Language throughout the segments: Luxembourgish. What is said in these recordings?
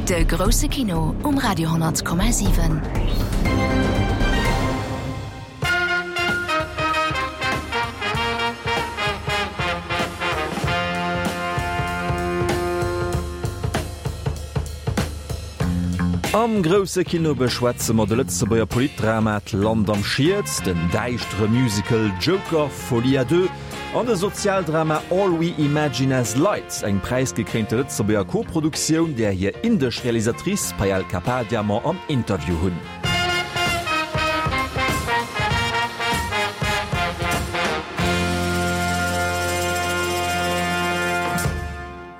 De grousse Kino um Radio 10,7. Am grousse Kino beschwätze mer de Lëtzebuerger Politdrama D'Land am Schiet, den däischtere Musical Joker, Folie à deux an de Sozialdrama All We Imagine As Light, eng präisgekréinte Lëtzebuerger Koproduktioun, där hir indesch Realisatrice Payal Kapadia mer am Interview hunn.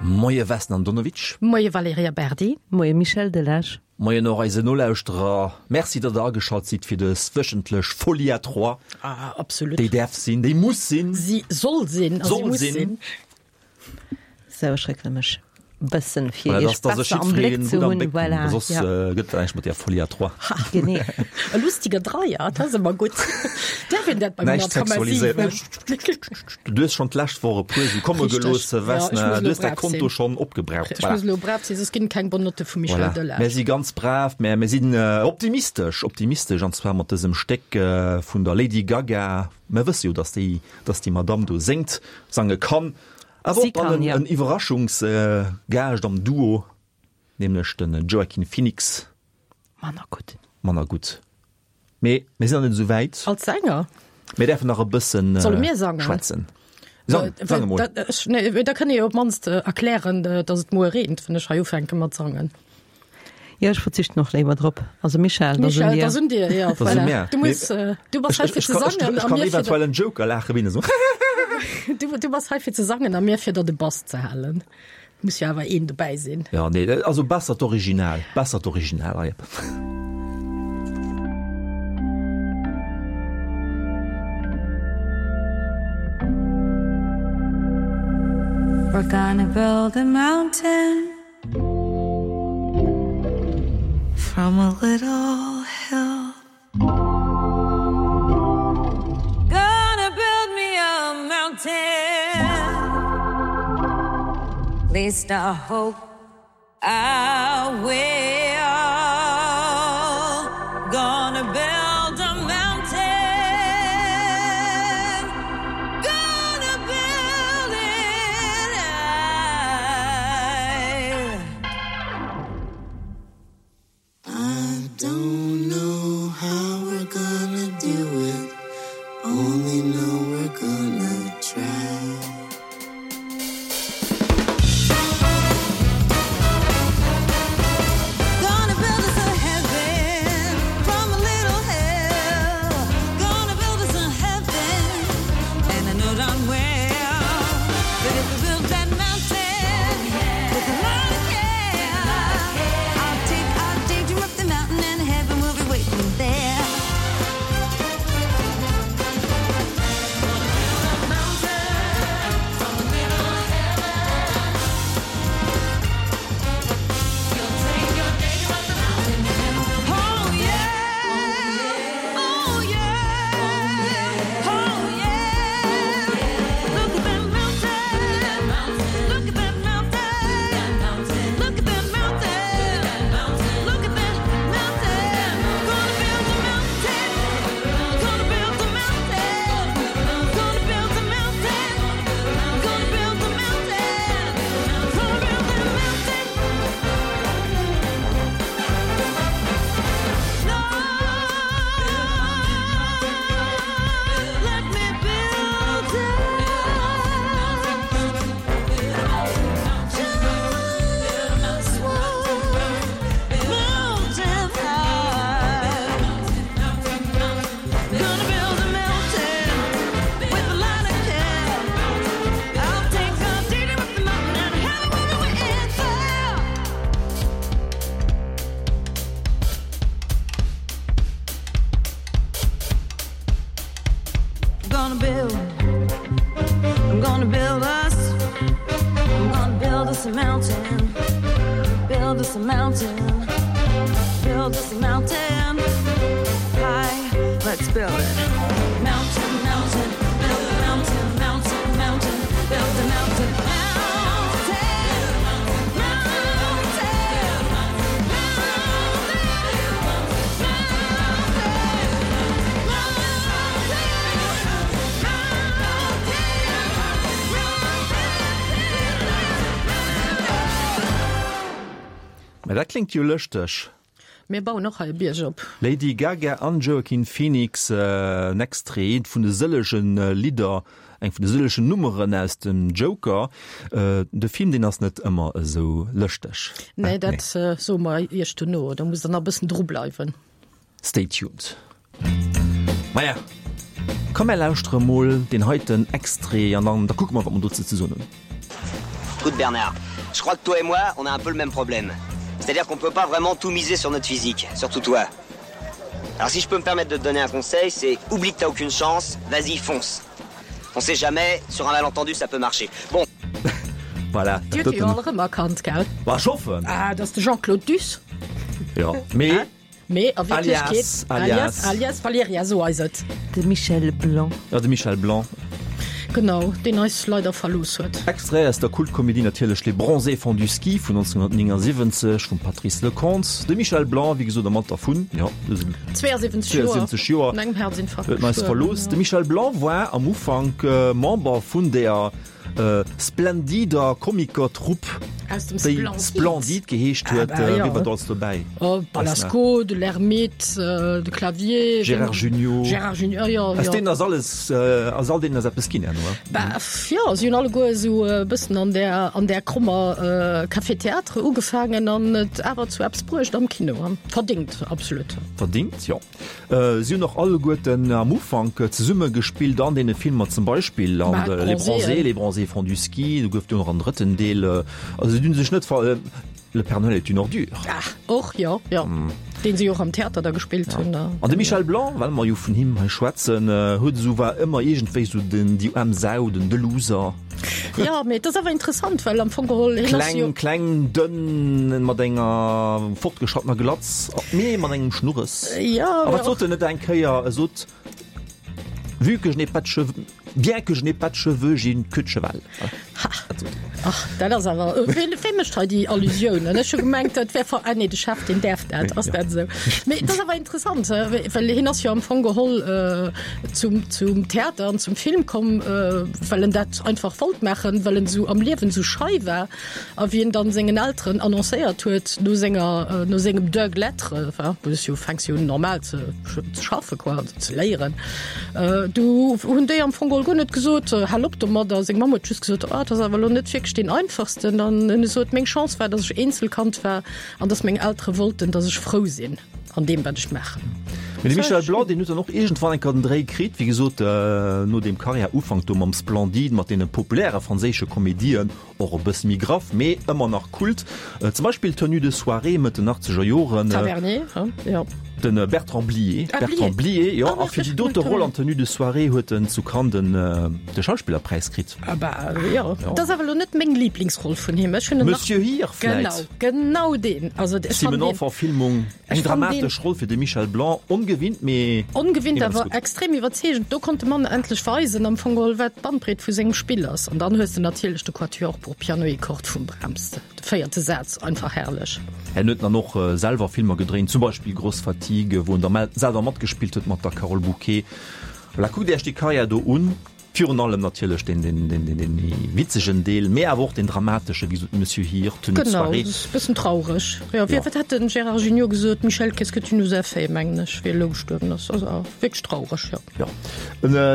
Moie Vesna Andonovic. Moie Valerija Berdi. Moie Michel Delage. Moien och eise Nolauschterer. Merci, datt der ageschalt sidd fir dës wöchentlech Folie à trois. Ah, absolut. Déi däerf sinn, déi muss sinn. Si soll sinn a si muss sinn. Sou, ech réckele mech bëssen, fir Voilà, iech dass, dass ech besser am Bléck jiddwereen ze gutt am hunn. Bléck hunn. Voilà, Soss ja. gëtt dat näischt mat där Folie à trois. Ha, Genee. e lustiger Dreier, dat ass ëmmer gutt. Däerf een dat beim Näischt 100,7? sexualiséiert. Du hues schonn d'lescht Woch e puer sou komme Richteg. gelooss, Ja, ech Vesna. muss Du elo hues däi brav Konto sinn. schonn opgebraucht. Ech Voilà. muss elo brav sinn, soss ginn et keng bonne Notte vum Michel Voilà. Delage. Mir si ganz brav, mä mir sinn optimistesch, optimistesch, an zwar mat dësem Stéck vun der Lady Gaga. Mir wësse jo, dass déi, dass déi Madamm do séngt, sange kann. Awer Si och dann kann, en, ja. en Iwwerraschungsgaascht am Duo, nämlech de Joaquin Phoenix. Manner gutt. Manner gutt. Mee mir sinn nach net esou wäit. Als Sänger? Mir däerfen nach e bëssen Solle mir sangen? schwätzen. Sang, sang emol. Da, ech, nee, da kënnt Dir jo op d'mannst erklären, datt et muer reent, wann ech hei ufänke mat sangen. Jo, ech verzichten och léiwer drop. Also Michèle, dat ass un Michèle, dir. dat ass un dir, jo, Dat ass un voilà. mär. Du muss, du bass hei fir ze sangen Ech a kann mir fir eventuell en Joker laache wéi en esou. Du, du bass hei fir ze sangen a mir fir der de Bass ze halen. Muss jo awer een dobäi sinn. Ja, nee, also besser d'Original, besser d'Original, ah, jep. We're gonna build a mountain From a little hill Gonna build me a mountain Least I hope I will Gonna build a mountain Gonna build it high I don't know how we're gonna do it Only know we're gonna try Gonna build us a heaven from a little hell Gonna build us a heaven and I know darn well That if we build that mountain with a lot of care I'll take our daydream up the mountain and heaven will be waiting there Oh yeah, oh yeah, oh yeah. Look at that mountain, look at that mountain, look at that mountain, look at that mountain. Gonna build a mountain, gonna build a mountain, gonna build a mountain, gonna build a mountain, gonna build a mountain. Let me build it. Just one mountain high. Gonna build a mountain with a lot of care. I'll take a daydream up the mountain and heaven will be waiting there. Gonna build, I'm gonna build us, I'm gonna build us a mountain, build us a mountain, build us a mountain. High, let's build it. Mountain, mountain, build a mountain, mountain, mountain, build a mountain, mountain, mountain. Mä dat kléngt jo lëschteg. Mir bauen och hei e Bierg op. Lady Gaga an Joaquin Phoenix, en Extrait, eent vun de sëllegen Lidder, eng vun de sëllegen Nummeren aus dem Joker. De Film, deen ass net ëmmer esou lëschteg. Nee, dat soe mer Iech dono. Do musst Der nach e bëssen drubleiwen. Stay tuned. Maja, komm mär lauschtere mol deen heiten Extrait an dann da kucke mer, wat mer dozou ze soen hunn. Écoute Bernard, je crois que toi et moi, on a un peu le même problème. C'est-à-dire qu'on peut pas vraiment tout miser sur notre physique, surtout toi. Alors si je peux me permettre de te donner un conseil, c'est oublie que t'as aucune chance, vas-y fonce. On sait jamais, sur un malentendu ça peut marcher. Bon. Voilà, Dir hutt jo all erëm erkannt, gell? Bah, ech hoffen. Ah, dat ass de Jean-Claude Duss. Jo, mee. Mee a Wierklechkeet, Alias, alias. Alias Valeria, sou eis et. De Michel Blanc. Ja, de Michel Blanc. Genau, deen eis leider verlooss huet. Extrait aus der Kultkomedie natierlech Les Bronzés font du ski vun 1979 vum Patrice Leconte. De Michel Blanc, wéi gesot, am Alter vun, jo, 72 Joer, 72 Joer, un engem Herzinfarkt huet en eis gestuerwen. verlooss. De Michel Blanc war am Ufank Member vun der Splendider Komikertrupp, déi Splendid geheescht huet. Wie war do alles dobäi? Balasco, de Lhermitte, de Clavier, Gérard Jugnot. Gérard Jugnot, jo, jo. Aus deenen ass alles, aus all deenen ass eppes ginn herno, he? Bah, jo, si hunn alleguer esou e bëssen an där, an där krommer Café Théâtre ugefaangen an et awer zu eppes bruecht am Kino. Verdingt, absolut. Verdingt, jo. Si hunn och alleguerten am Ufank zesumme gespillt an deene Filmer, zum Beispill an Les Bronzés, Les Bronzés font du ski, do gouf et jo nach en drëtten Deel. Also si hunn sech net ver. Le Père Noël est une ordure. Ah, och, jo, jo. Deen si och am Theater da gespillt hunn. An de Michel Blanc, well mer jo vun him hei schwätzen, huet esou, war ëmmer iergendwéi esou den, déi aarm Sau, den, de Loser. Ja, mee et ass awer interessant, well am Fong geholl hien ass jo. Kleng, kleng, dënn, mat enger fortgeschrattener Glatz, mee mat engem Schnurres. Ja, A wat sot en net eng Kéier? E sot, Vu que je n'ai pas de cheveux, bien que je n'ai pas de cheveux, j'ai une queue de cheval. Ha! Ach, dat ass awer, ween, wee mécht hei déi Allusiounen? Ech hu gemengt, dat wär ver, ah nee, de Chef, deen däerf dat, ass dat esou? Mee et ass awer interessant, well hien ass jo am Fong geholl zum, zum Theater an zum Film komm, well en dat einfach wollt maachen, well en esou am Liewen esou schei war. A wéi en dann sengen Elteren annoncéiert huet, no senger, no sengem Deux lettres, enfin, wou s jo fänks jo un normal ze, ze schaffe quoi, also ze léieren, du hunn déi am Fong geholl guer net gesot, hal op domadder. Seng Mamm huet just gesot, ah, dat ass awer elo net wierklech deen einfachsten. An en sot, meng Chance war, datt ech Eenzelkand war an datt meng Eltere wollten, datt ech frou sinn. An deem wat ech maachen. Mee de Michel Blanc, deen huet dann och iergendwann eng Kéier den Dréi kritt, wéi gesot, no deem Karriärufank do mam Splendide, mat deene populäre franséische Komedien, och e bësse méi graff, mee ëmmer nach Kult. Zum Beispill Tenue de soirée, Mëtt den achtzeger Joren. Tavernier, jo. De Bertrand Blier. Ah, Blier. Bertrand Blier, jo. Ah, A fir déi dote Roll an Tenue de soirée huet en zu Cannes den de Schauspillerpräis kritt. Ah bah, jo. Dat ass awer elo net meng Liblingsroll vun him. Ech hunn en nach. Monsieur Hir vläit? Genau, genau deen. Also ech fannen deen. Simenon-Verfilmung, eng Ech fannen deen. dramatesch Roll fir de Michel Blanc, ongewinnt, mee Ongewinnt, immens awer gutt. extrem iwwerzeegend. Do konnt de Mann endlech weisen am Fong geholl, wat d'Bandbreet vu sengem Spill ass. An dann hues de natierlech de Quatuor pour piano et cordes vum Brahms, de véierte Saz, einfach herrlech. En huet dann och selwer Filmer gedréint, zum Beispill Grosse Fatigue, wou en da selwer matgespillt huet mat der Carole Bouquet. Voilà, kuckt Iech déi Karriär do un. Virun allem natierlech deen méi witzegen Deel, mee awer och deen dramatesche, wéi gesot, Monsieur Hir, Tenue de Genau, soirée. e bëssen traureg. Jo, wéi, wat hat de Gérard Jugnot gesot, Michel, qu'est-ce que tu nous as fait, mengen ech, wéi e elo gestuerwen ass. Also wierklech traureg, jo. Jo.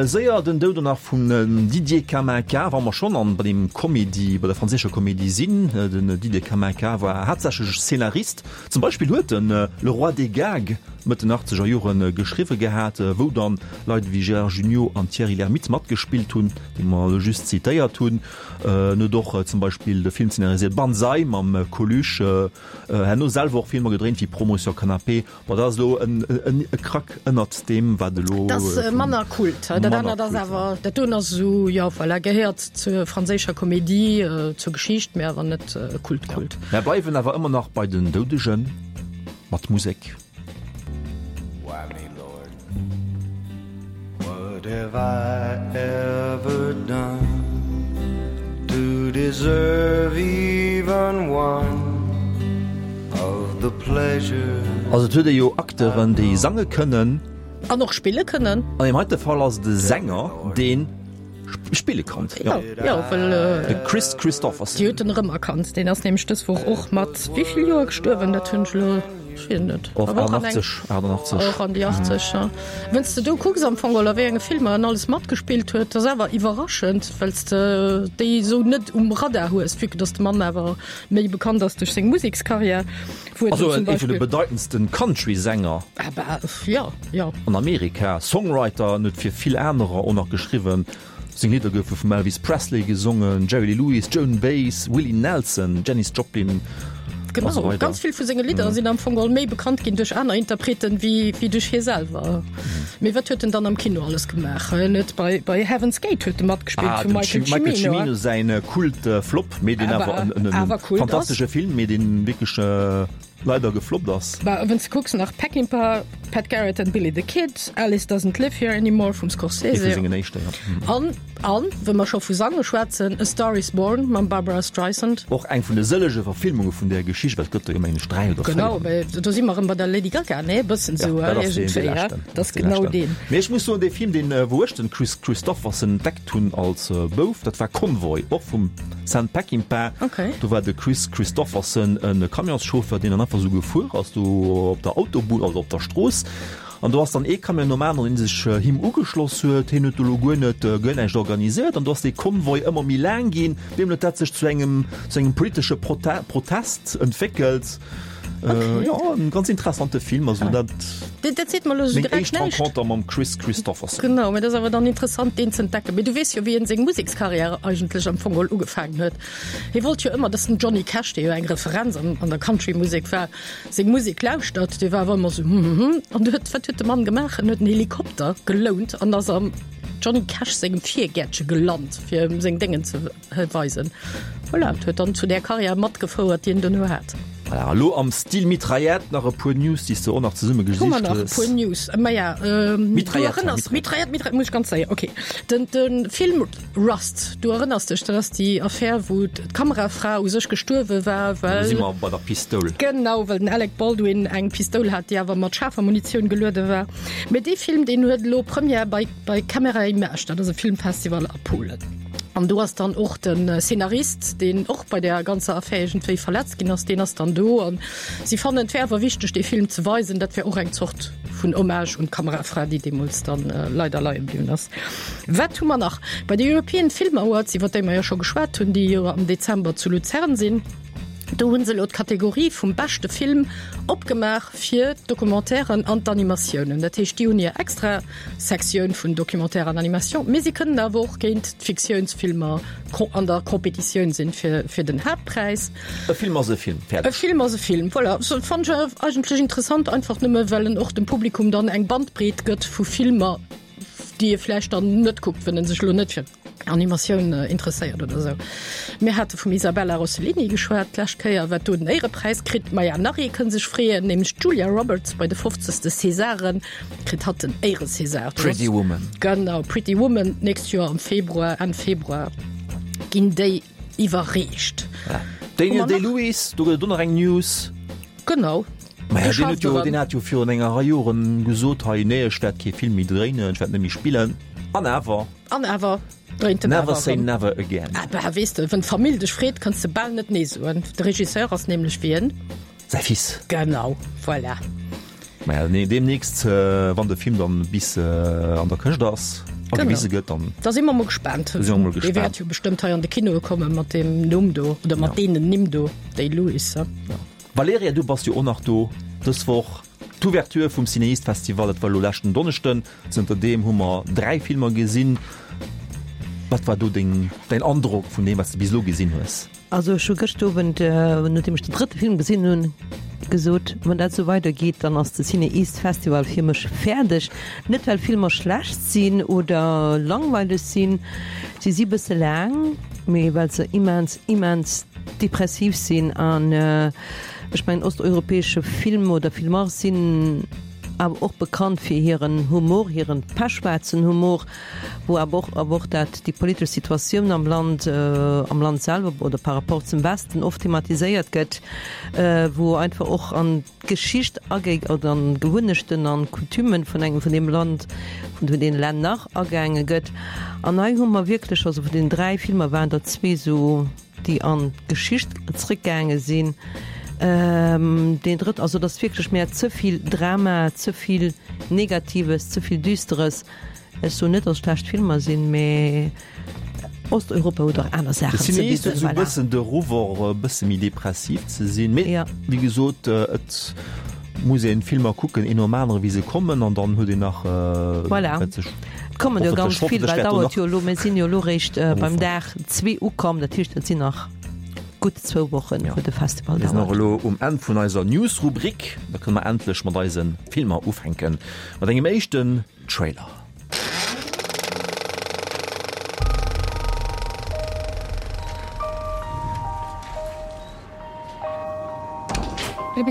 Séier den Doud nach vum Didier Kaminka, wa mer schonn an bei deem Comédie, bei der franséischer Comédie sinn. Den Didier Kaminka war haaptsächlech Scénarist. Zum Beispill huet en Le Roi des Gags Mëtt den achtzeger Jore geschriwwe gehat, wou dann Leit ewéi Gérard Jugnot an Thierry Lhermitte matgespillt hunn, déi mer elo just zitéiert hunn. En huet och zum Beispill de Film szenariséiert Banzai mam Coluche, herno selwer och Filmer gedréint wéi Promotion Canapé. Bon, dat ass elo e Krack ënnert deem, wat elo. Dat ass manner Kult. Dat anert ass awer, dat doen ass esou, jo, voilà, gehéiert zur franséischer Komedie, zur Geschicht, mä awer net Kult-Kult. Mär bleiwen awer ëmmer nach bei den Doudegen, mat Musek. Why me, Lord? What have I ever done to deserve even one of the pleasures? Also et huet ee jo Acteuren, déi sange kënnen. An och spille kënnen. An deem heite Fall ass et e Sänger, dee. Spille konnt. Jo, jo, well. De Kris Kristofferson. Déi huet en erëmerkannt. Deen ass nämlech dës Woch och mat wéi vill Joer gestuerwen? Dat hunn ech elo, ech weess et net. Och 88, 88. Och an déi 80, jo. Wann s de do kucks am Fong geholl, a wéi enge Filmer en alles matgespillt huet, dat ass awer iwwerraschend, well s de déi esou net um Radar hues, vue que dass de Mann awer méi bekannt ass duerch seng Musekskarriär. Wou Also en ee vun de bedeitendsten Country-Sänger. Ah bah, jo, jo. An Amerika. Songwriter, en huet fir vill anerer och nach geschriwwen. Seng Lidder goufe vum Elvis Presley gesongen, Jerry Lee Lewis, Joan Baez, Willie Nelson, Janis Joplin a sou Genau, weider. ganz vill vu senge Lidder sinn am Fong geholl méi bekannt ginn duerch aner Interpreten wéi wéi duerch hie selwer. Mee wat huet en dann am Kino alles gemaach? En huet bei bei Heaven's Gate huet e matgespillt Ah, vum dem Michael Michael Cimino. Cimino säin Kult-Flop. Mee deen awer en, en, en fantastesche Film, mee deen wierklech leider gefloppt ass. Bah, wann s de kucks nach Peckinpah, Pat Garrett and Billy the Kid, Alice Doesn't Live Here Anymore vum Scorsese. Ee vu sengen éischten, ja. An, an, wa mer scho vu Sange schwätzen, A Star Is Born mam Barbara Streisand. Och eng vun de sëllege Verfilmunge vun där Geschicht, well et gëtt der jo mengen ech 3 oder 4. Genau, mä do si mer erëm bei der Lady Gaga, nee, e bëssen esou, Ja, dat ass deen, dee iergendwéi, ja. leschten. Dat ass genau deen. Mee ech muss soen, dee Film, deen, wou ech den Kris Kristofferson entdeckt hunn als Bouf, dat war Convoy, och vum Sam Peckinpah. Okay. Do war de Kris Kristofferson e Camionschauffer, deen dann einfach esou gefuer ass do op der Autobunn, also op der Strooss. An do ass dann ee Camion nom aneren, dee sech him ugeschloss huet. Hien huet do elo guer net, guer näischt organisiert. An do ass dee Convoi ëmmer méi laang ginn. Deemno huet dat sech zu engem, zu engem politesche Protest entwéckelt. Okay. Jo, en ganz interessante Film, also dat. Dat, dat seet mer elo sou Meng direkt éischt näischt. Renconter mam Kris Kristofferson. Genau, mä dat ass awer dann interessant, deen ze entdecken. Mee du weess jo, wéi en seng Musekskarriär eigentlech am Fong geholl ugefaangen huet. Hie wollt jo ëmmer, dass den Johnny Cash, dee jo eng Referenz an, an der Country-Musek war, seng Musek lauschtert. Dee war awer ëmmer sou hm, hm, hm. An du huet, wat huet de Mann gemaach? En huet en Helikopter gelount an ass am Johnny Cash sengem Virgäertche gelant, fir em seng Déngen ze. Weisen. Voilà, et huet dann zu där Karriär matgefouert, déi en duerno hat. Voilà, elo am Stil Mitraillette nach e puer News, déi s de och nach zesumme Hu mer gesicht nach e hues. puer News? Maja, du Mitraillette, erënners, Mitraillette. Mitraillette, Mitraillette, muss ech ganz séier, okay. Den, de Film Rust, du erënners dech, dat ass déi Affär, wou d'Kamerafra u sech gestuerwe war, Do well. si mer bei der Pistoul. Genau, well den Alec Baldwin eng Pistoul hat, déi awer mat schaarfer Munitioun geluede war. Mee dee Film, deen huet elo Première bei, bei Camera Image, dat ass e Filmfestival a Polen. An do ass dann och de Szenarist, deen och bei där ganzer Affär iergendwéi verletzt ginn ass, deen ass dann do. An si fannen, et wär awer wichteg, dee Film ze weisen. Dat wär och eng Zort vun Hommage un d'Kamerafra, déi deemools dann leider leie bliwwen ass. Wat hu mer nach? Bei de European Film Awards, iwwer déi mer jo scho geschwat hunn, déi jo am Dezember zu Luzern sinn, do hu se elo d'Kategorie vum beschte Film opgemaach fir d'Documentairen an d'Animatiounen. Dat heescht, déi hunn hir extra Sektioun vun Documentaire an Animation, mee si kënnen awer och géint d'Fiktiounsfilmer an der Competitioun sinn fir, fir den Haaptpräis. E Film ass e Film, fäerdeg. E Film ass e Film, voilà. So, fannen ech eigentlech interessant, einfach nëmme well en och dem Publikum dann eng Bandbreet gëtt vu Filmer, déi e vläicht dann net kuckt, wenn en sech elo net fir. Animatioun interesséiert oder esou. Mir hate vum Isabella Rossellini geschwat d'lescht Kéier, wat do den Éierepräis kritt. Maja, nach ee kënn sech freeën, nämlech d'Julia Roberts bei de 50. Césaren kritt hatt den Éiere-César. Pretty Woman. Genau, Pretty Woman, d'nächst Joer am Februar, Enn Februar ginn déi iwwerreecht. Daniel Day-Lewis, do gëtt et och nach eng News. Genau. Maja, deen huet jo, deen hat jo virun enger Rei Joren gesot, hei, nee, ech wäert kee Film méi dréinen, ech wäert net méi spillen. An awer. An awer dréint en Never awer say erëm. never again. Ah bah, weess de, wann d'Famill dech freet, kanns de bal net nee soen. De Regisseur ass nämlech wien? Säi Fils. Genau, voilà. Maja, nee, deemnächst, wann de Film dann bis an der Këscht ass a Genau. gewise gëtt, dann. Da si mer mol gespaant. Da si mer mol Dee gespaant. wäert jo bestëmmt hei an de Kinoe komme mat deem Numm do, oder mat Ja. deenen Nimm do, Day-Lewis, he? Ja. Valerija, du bass jo och nach do dës Woch. D'Ouverture vum CinEast Festival, dat war elo leschten Donneschden. Zënter deem hu mer 3 Filmer gesinn. Wat war do deng, däin Androck vun deem, wat s de bis elo gesinn hues? Also ech hu gëscht Owend, nodeem ech den drëtte Film gesinn hunn, gesot, wann dat esou weidergeet, dann ass de CinEast Festival fir mech fäerdeg. Net well Filmer schlecht sinn oder langweileg sinn, si si bësse laang, mee well se immens, immens depressiv sinn. An ech mengen, osteuropäesche Film oder Filmer sinn. Awer och bekannt fir hiren Humor, hiren pechschwaarzen Humor, wou awer och awer och dat déi politesch Situatioun am Land, am Land selwer oder par rapport zum Westen oft thematiséiert gëtt, wou einfach och an d'Geschicht agéi oder an d'Gewunnechten an d'Coutumen vun engem vun deem Land, vun vun deene Länner agaange gëtt. An hei hu mer wierklech, also vun den 3 Filmer waren der zwee sou, déi an d'Geschicht zréckgaange sinn. Deen drëtt, also et ass wierklech mär ze vill Drama, ze vill Negatives, ze vill Düsteres. Ech soen net, datt schlecht Filmer sinn, mee Osteuropa huet och aner Saachen ze bidden. De Cineast huet esou e Voilà. bëssen de Ruff och e bësse méi depressiv ze sinn, mee Ja. wéi gesot, et muss een d'Filmer kucken, een nom anere wéi se kommen, an dann huet een nach, Voilà. wat sech Et kommen jo hoffentlech, ganz vill, hoffentlech well wäert do dauert nach jo elo, mir sinn jo elo réischt am beim Ufank. Dag zwee ukomm, dat heescht et sinn nach gutt zwou Wochen, Ja. wou de Festival Mir sinn och dauert. elo um Enn vun eiser News-Rubrik, da kënne mer endlech mat eise Filmer ufänken, mat engem éischten Trailer.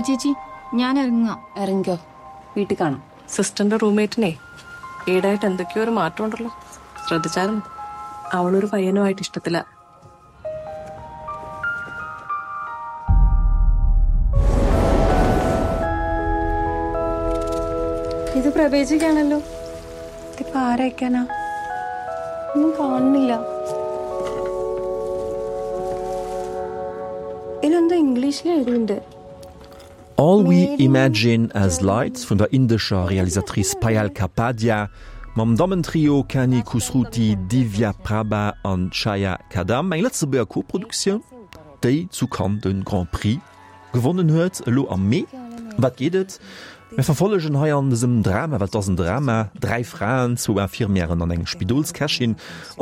ചേച്ചി ഞാൻ ഇറങ്ങാം ഇറങ്ങിക്കോ വീട്ടിൽ കാണാം സിസ്റ്ററിന്റെ റൂംമേറ്റിനെ ഈടായിട്ട് എന്തൊക്കെയോ ഒരു മാറ്റമുണ്ടല്ലോ ശ്രദ്ധിച്ചായിരുന്നു അവളൊരു പയ്യനുമായിട്ട് ഇഷ്ടത്തില ഇത് പ്രവേശിക്കാണല്ലോ ഇതിപ്പോ ആരയക്കാനാ ഒന്നും കാണുന്നില്ല ഇതിലെന്തോ ഇംഗ്ലീഷിൽ എഴുതിയിട്ടുണ്ട് All We Imagine As Light vun der indescher Realisatrice Payal Kapadia mam Dammentrio Kani Kusruti, Divya Prabha an Chaya Kadam, eng Lëtzebuerger Koproduktioun, déi zu Cannes de Grand Prix gewonnen huet, elo am Mee. Ëm wat geet et? Mir verfollegen hei an dësem Drama, well et ass en Drama, 3 Fraen, zwou Infirmièren an eng Spidolskächin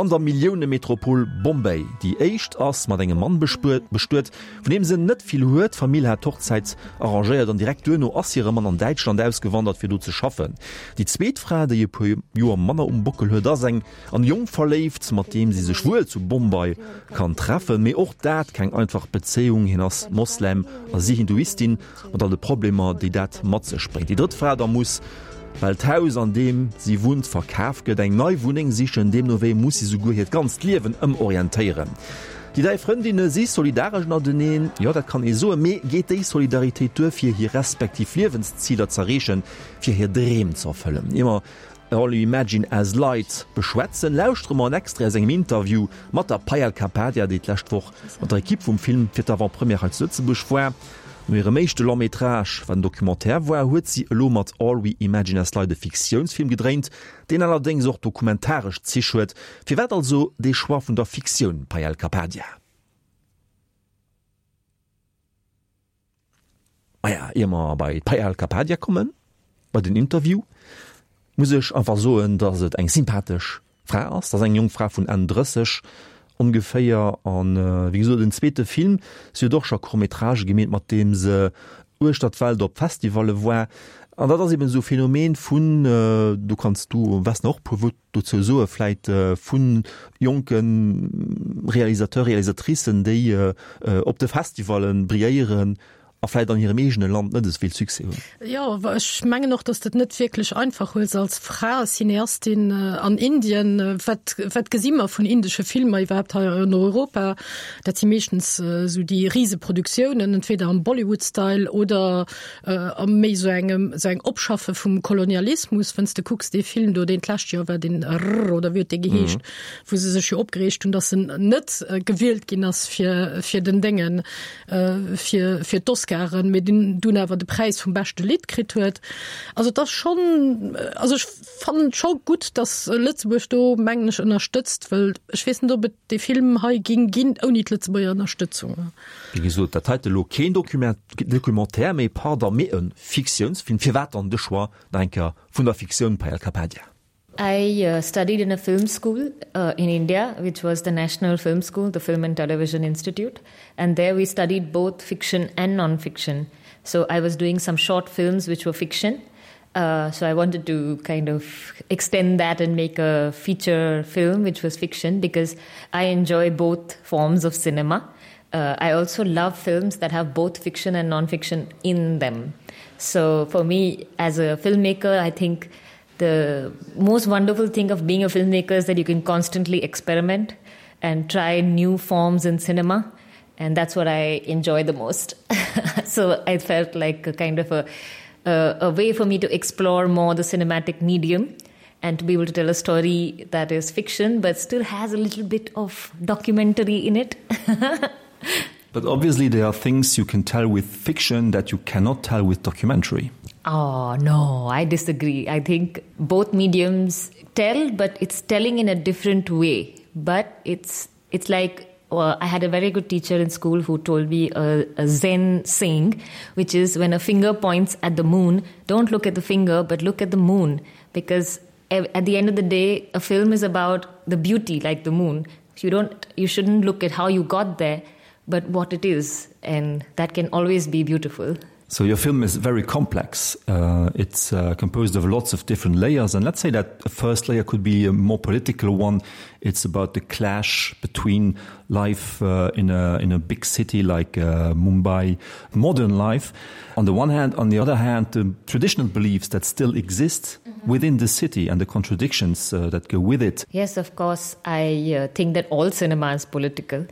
an der Milliounemetropol Bombay. Déi éischt ass mat engem Mann bestuet, vun deem se net vill huet. D'Famill hat d'Hochzäit arrangéiert an direkt duerno ass hire Mann an Däitschland ausgewandert, fir do ze schaffen. Déi zweet Fra, déi e puer Joer manner um Bockel huet, ass eng An Jong verléift, mat deem si sech wuel zu Bombay kann treffen. Mee och dat keng einfach Bezéiung, hien ass Moslem a si Hinduistin, mat all de Problemer, déi dat mat sech bréngt. Déi drëtt Fra da muss, well d'Haus an deem si wunnt verkaf gëtt, eng nei Wunneng sichen. Deemno wéi muss si souguer hiert ganzt Liewen ëmorientéieren. Déi dräi Frëndinne si solidaresch ënnerteneen, jo dat kann ee soen, mee geet déi Solidaritéit duer fir hir respektiv Liewensziler z'erreechen, fir hir Dreem z'erfëllen? Ier mer All You Imagine As Light beschwätzen, lauschtere mer en Extrait aus engem Interview mat der Payal Kapadia, déi d'lescht Woch mat der Ekipp vum Film fir d'Avant-Première hei zu Lëtzebuerg war. No hirem éischte Long-métrage, wat en Documentaire war, huet si elo mat All We Imagine As Light e Fiktiounsfilm gedréint, deen allerdéngs och dokumentaresch Zich huet. Firwat also dee Choix vun der Fiktioun, Payal Kapadia? Maja, ier mer bei d'Payal Kapadia kommen, bei den Interview, muss ech einfach soen, dass et eng sympathesch Fra ass. Dat ass eng jonk Fra vun Enn 30 ongeféier an, wéi gesot, en zweete Film. Si huet och scho Court-métragë gemeet, mat deem se uechter d'Welt op Festivalle war. An dat ass eben esou e Phänomen vun, do kanns du, Vesna, och e puer Wuert dozou soe vläit vu jonke Réalisateur, Réalisatricen, déi op de Festivalle brilléieren a vläit an hirem eegene Land net esou vill Succès hunn. Jo, ech mengen och, datt s de et net wierklech einfach hues als Fra, Cineastin an Indien. Wat, wat gesi mer vun indesche Filmer iwwerhaapt hei an Europa? Dat si meeschtens esou déi Riseproduktiounen, entweder am Bollywood-Style oder a méi esou engem esou eng Opschaffe vum Kolonialismus, wenn's de kucks dee Film do, deen d'lescht Joer war, deen Rrr oder wéi huet dee geheescht, mm. wou se sech jo opgereegt hunn, datt en net äh, gewielt ginn ass fir fir den Déngen äh, fir fir d'Oscaren, mee den dunn awer de Präis vum beschte Lidd kritt huet. Also dat schon äh, also ech fannen scho gutt, datt Lëtzebuerg do mengen ech ënnerstëtzt, wëll ech weess net ob et dee Film hei ging ginn ouni d'Lëtzebuerger Ënnerstëtzung. Wéi gesot, dat heite lo keen Documentaire, mee pardon, mee e Fiktiounsfilm. Firwat dann de Choix nach eng Kéier vun der Fiktioun, Payal Kapadia? I studied in a film school in India, which was the National Film School, the Film and Television Institute. And there we studied both fiction and non-fiction. So I was doing some short films which were fiction. Uh, so I wanted to kind of extend that and make a feature film, which was fiction, because I enjoy both forms of cinema. Uh, I also love films that have both fiction and non-fiction in them. So for me as a filmmaker, I think the most wonderful thing of being a filmmaker is that you can constantly experiment and try new forms in cinema and that's what I enjoy the most. so I felt like a kind of a, a, a way for me to explore more the cinematic medium and to be able to tell a story that is fiction but still has a little bit of documentary in it. but obviously there are things you can tell with fiction that you cannot tell with documentary. Oh no, I disagree. I think both mediums tell, but it's telling in a different way. But it's it's like well, I had a very good teacher in school who told me a, a Zen saying, which is when a finger points at the moon, don't look at the finger, but look at the moon because at the end of the day, a film is about the beauty like the moon. You don't you shouldn't look at how you got there, but what it is and that can always be beautiful. So your film is very complex. Uh, it's uh, composed of lots of different layers and let's say that the first layer could be a more political one. It's about the clash between life uh, in a in a big city like uh, Mumbai, modern life on the one hand, on the other hand, the traditional beliefs that still exist mm -hmm. within the city and the contradictions uh, that go with it. Yes, of course, I uh, think that all cinema is political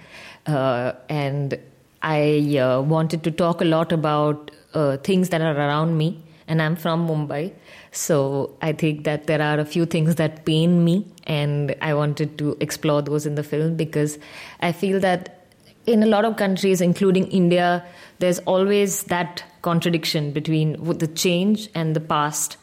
uh, and I uh, wanted to talk a lot about uh, things that are around me and I'm from Mumbai. So I think that there are a few things that pain me and I wanted to explore those in the film because I feel that in a lot of countries, including India, there's always that contradiction between the change and the past.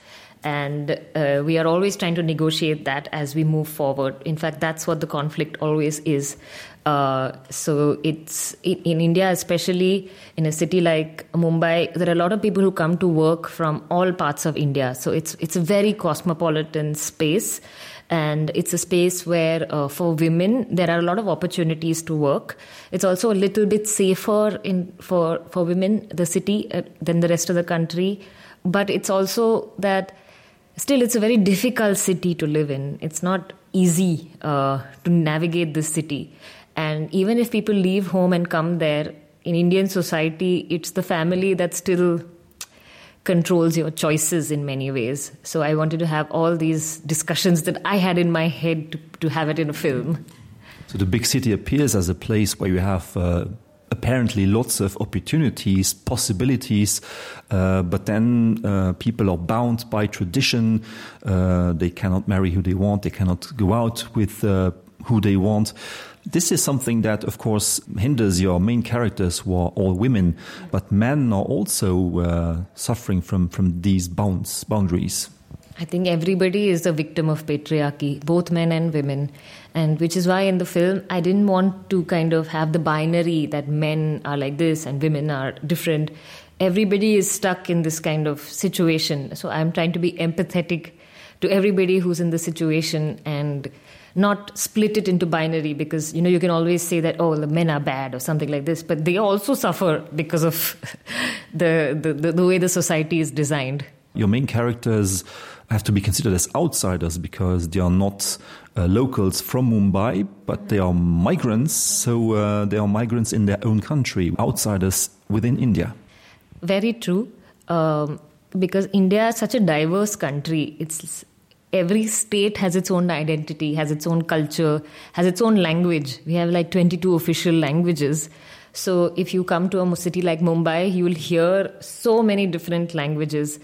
And uh, we are always trying to negotiate that as we move forward. In fact, that's what the conflict always is. Uh, so it's in, in India, especially in a city like Mumbai, there are a lot of people who come to work from all parts of India. So it's, it's a very cosmopolitan space. And it's a space where uh, for women, there are a lot of opportunities to work. It's also a little bit safer in, for, for women, the city, uh, than the rest of the country. But it's also that still it's a very difficult city to live in. It's not easy uh, to navigate this city. And even if people leave home and come there, in Indian society, it's the family that still controls your choices in many ways. So I wanted to have all these discussions that I had in my head to, to have it in a film. So the big city appears as a place where you have uh, apparently lots of opportunities, possibilities, uh, but then uh, people are bound by tradition. Uh, they cannot marry who they want, they cannot go out with uh, who they want. This is something that of course hinders your main characters who are all women, but men are also uh, suffering from, from these bounds, boundaries. I think everybody is a victim of patriarchy, both men and women. And which is why in the film, I didn't want to kind of have the binary that men are like this and women are different. Everybody is stuck in this kind of situation. So I'm trying to be empathetic to everybody who's in the situation and not split it into binary because you know you can always say that oh the men are bad or something like this but they also suffer because of the, the, the, the way the society is designed. Your main characters have to be considered as outsiders because they are not uh, locals from Mumbai, but they are migrants, so uh, they are migrants in their own country, outsiders within India. Very true. Um, because India is such a diverse country, it's every state has its own identity, has its own culture, has its own language. We have like 22 official languages. So if you come to a city like Mumbai, you will hear so many different languages.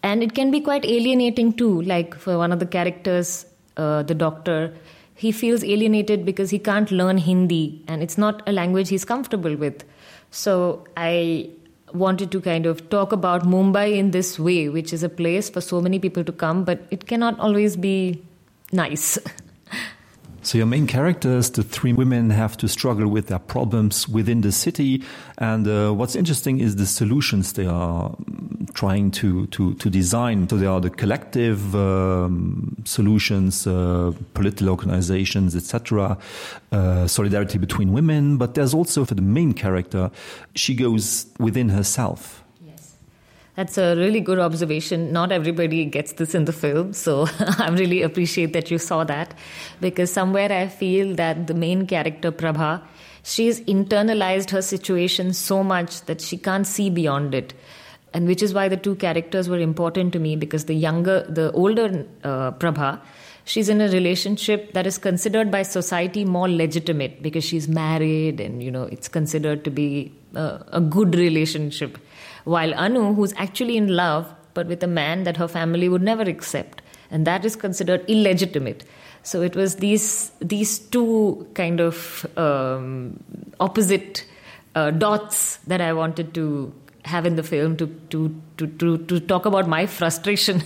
And it can be quite alienating too. Like for one of the characters, uh, the doctor, he feels alienated because he can't learn Hindi and it's not a language he's comfortable with. So I wanted to kind of talk about Mumbai in this way, which is a place for so many people to come, but it cannot always be nice. So your main characters, the three women, have to struggle with their problems within the city. And uh, what's interesting is the solutions they are mm, trying to, to, to design. So there are the collective um, solutions, uh, political organizations, etc., uh, solidarity between women. But there's also for the main character, she goes within herself. That's a really good observation. Not everybody gets this in the film, so I really appreciate that you saw that because somewhere I feel that the main character Prabha, She's internalized her situation so much that she can't see beyond it. And which is why the two characters were important to me because the younger, the older uh, Prabha, she's in a relationship that is considered by society more legitimate because she's married and you know it's considered to be a, a good relationship while Anu who's actually in love but with a man that her family would never accept and that is considered illegitimate so it was these these two kind of um, opposite uh, dots that I wanted to have in the film to to to to, to talk about my frustration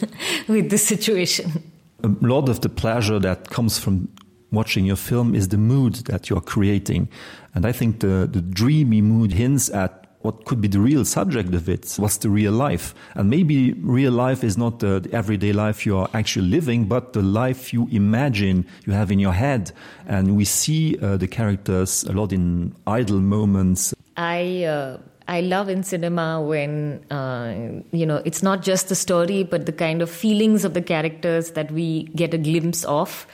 with this situation a lot of the pleasure that comes from watching your film is the mood that you are creating and I think the the dreamy mood hints at what could be the real subject of it what's the real life and maybe real life is not the, the everyday life you are actually living but the life you imagine you have in your head and we see uh, the characters a lot in idle moments I uh, I love in cinema when uh, you know it's not just the story but the kind of feelings of the characters that we get a glimpse of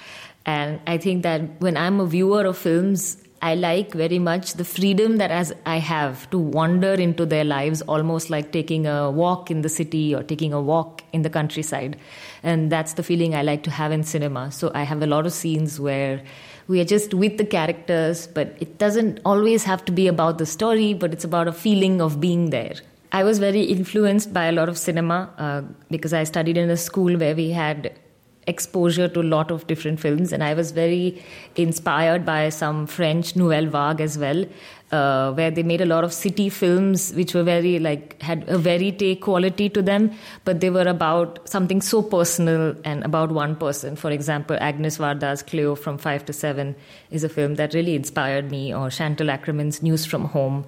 and I think that when I'm a viewer of films I like very much the freedom that as I have to wander into their lives almost like taking a walk in the city or taking a walk in the countryside and that's the feeling I like to have in cinema so I have a lot of scenes where we are just with the characters but it doesn't always have to be about the story but it's about a feeling of being there I was very influenced by a lot of cinema uh, because I studied in a school where we had exposure to a lot of different films and I was very inspired by some French Nouvelle Vague as well uh, where they made a lot of city films which were very like had a verite quality to them but they were about something so personal and about one person for example Agnes Varda's Cleo from 5 to 7 is a film that really inspired me or Chantal Ackerman's News from Home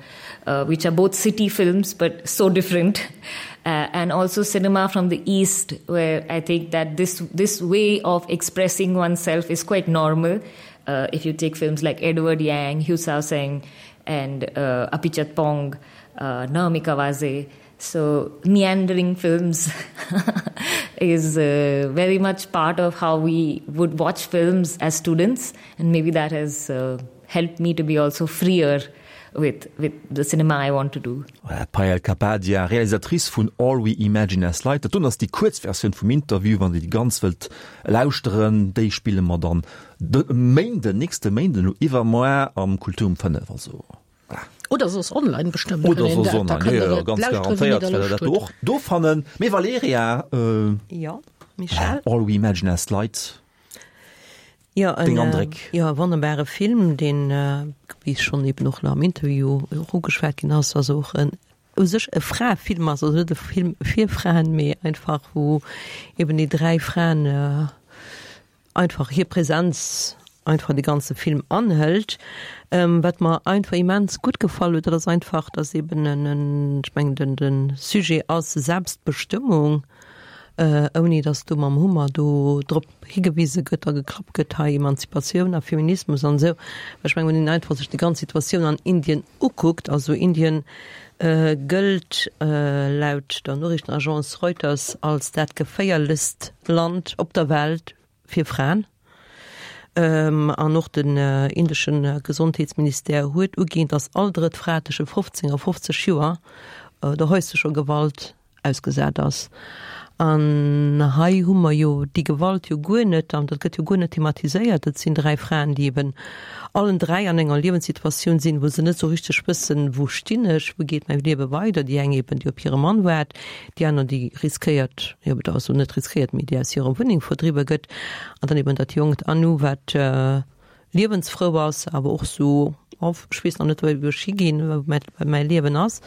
uh, which are both city films but so different uh, and also cinema from the east where I think that this this way of expressing oneself is quite normal uh, if you take films like Edward Yang Hugh Sao Seng and uh, Apichat Pong uh, Naomi Kawase so meandering films is uh, very much part of how we would watch films as students and maybe that has uh, helped me to be also freer with with the cinema I want to do. Payal Kapadia, Realisatrice vun All We Imagine As Light. Dat doen ass déi kuerz Versioun vum Interview. Wann Dir déi ganz wëllt lauschteren, déi spille mer dann de Méinden, nächste Méinden, elo iwwermoar am Kultur um 5. Also voilà. Oder soss online bestëmmt. Oder soss online, jo, jo, ganz garantéiert wäert Der dat do och do fannen. Mee Valerija, Jo, Michèle? All We Imagine As Light. Jo, en, Deng Andréck? jo, e wonnerbare Film, deen, wéi schonn eben och nach am Interview och ugeschwat ginn ass, also och en u sech e Fraefilm ass, also net e Film fir Fraen, mee einfach wou eben déi dräi Fraen einfach hir Präsenz einfach de ganze Film anhëlt. Wat mer einfach immens gutt gefall huet, dat ass einfach, dass eben en, ech mengen den de Sujet ass Selbstbestëmmung, ouni dass do mam Hummer do drop higewise gëtt a geklappt gëtt, hei Emanzipatioun a Feminismus an esou. Well ech mengen, wann een einfach sech déi ganz Situatioun an Indien ukuckt, also Indien gëllt laut der Noriichtenagence Reuters als dat geféierlechst Land op der Welt fir Fraen. An och den indesche Gesondheetsministère huet uginn, dass all drëtt Fra tësche 15 a 50 Joer der häuslecher Gewalt ausgesat ass. An hei hu mer jo déi Gewalt jo guer net, an dat gëtt jo guer net thematiséiert. Et sinn dräi Fraen, déi eben allen dräi an enger Liewenssituatioun sinn, wou se net esou richteg wëssen, wou stinn ech, wou geet mäi Liewe weider. Déi eng eben, déi op hire Mann waart, déi aner, déi riskéiert, jo, also net riskéiert, mee déi aus hirer Wunneng verdriwwe gëtt. An dann eben dat jonkt Anu, wat liewensfrou ass, awer och sou, oh, ech weess nach net, wou ech higinn, wou mäi Liewen ass.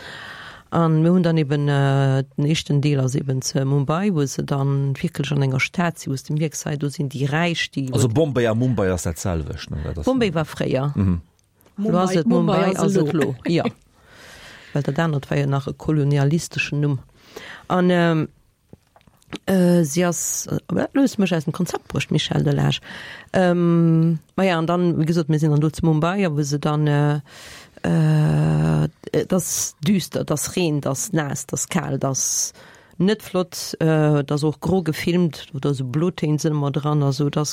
An mir hunn dann eben, den éischten Deel ass eben zu Mumbai, wou se dann wierklech an enger Stad sinn, wou s de mierks, hei do sinn déi Räich, déi. Also Bombay a Mumbai ass dat selwecht, ne? Dat ass. Bombay war fréier, elo ass et Mumbai ass et elo, jo. Well dat anert war jo nach e kolonialisteschen Numm. An. Si ass, elo hues de mech aus dem Konzept bruecht, Michel Delage. Maja, an dann, wéi gesot, mir sinn dann do zu Mumbai, a wou se dann, et ass düster, et ass Reen, et ass naass, et ass kal, et ass. Net flott, et ass och gro gefilmt oder esou Blotéin sinn ëmmer dran, also et ass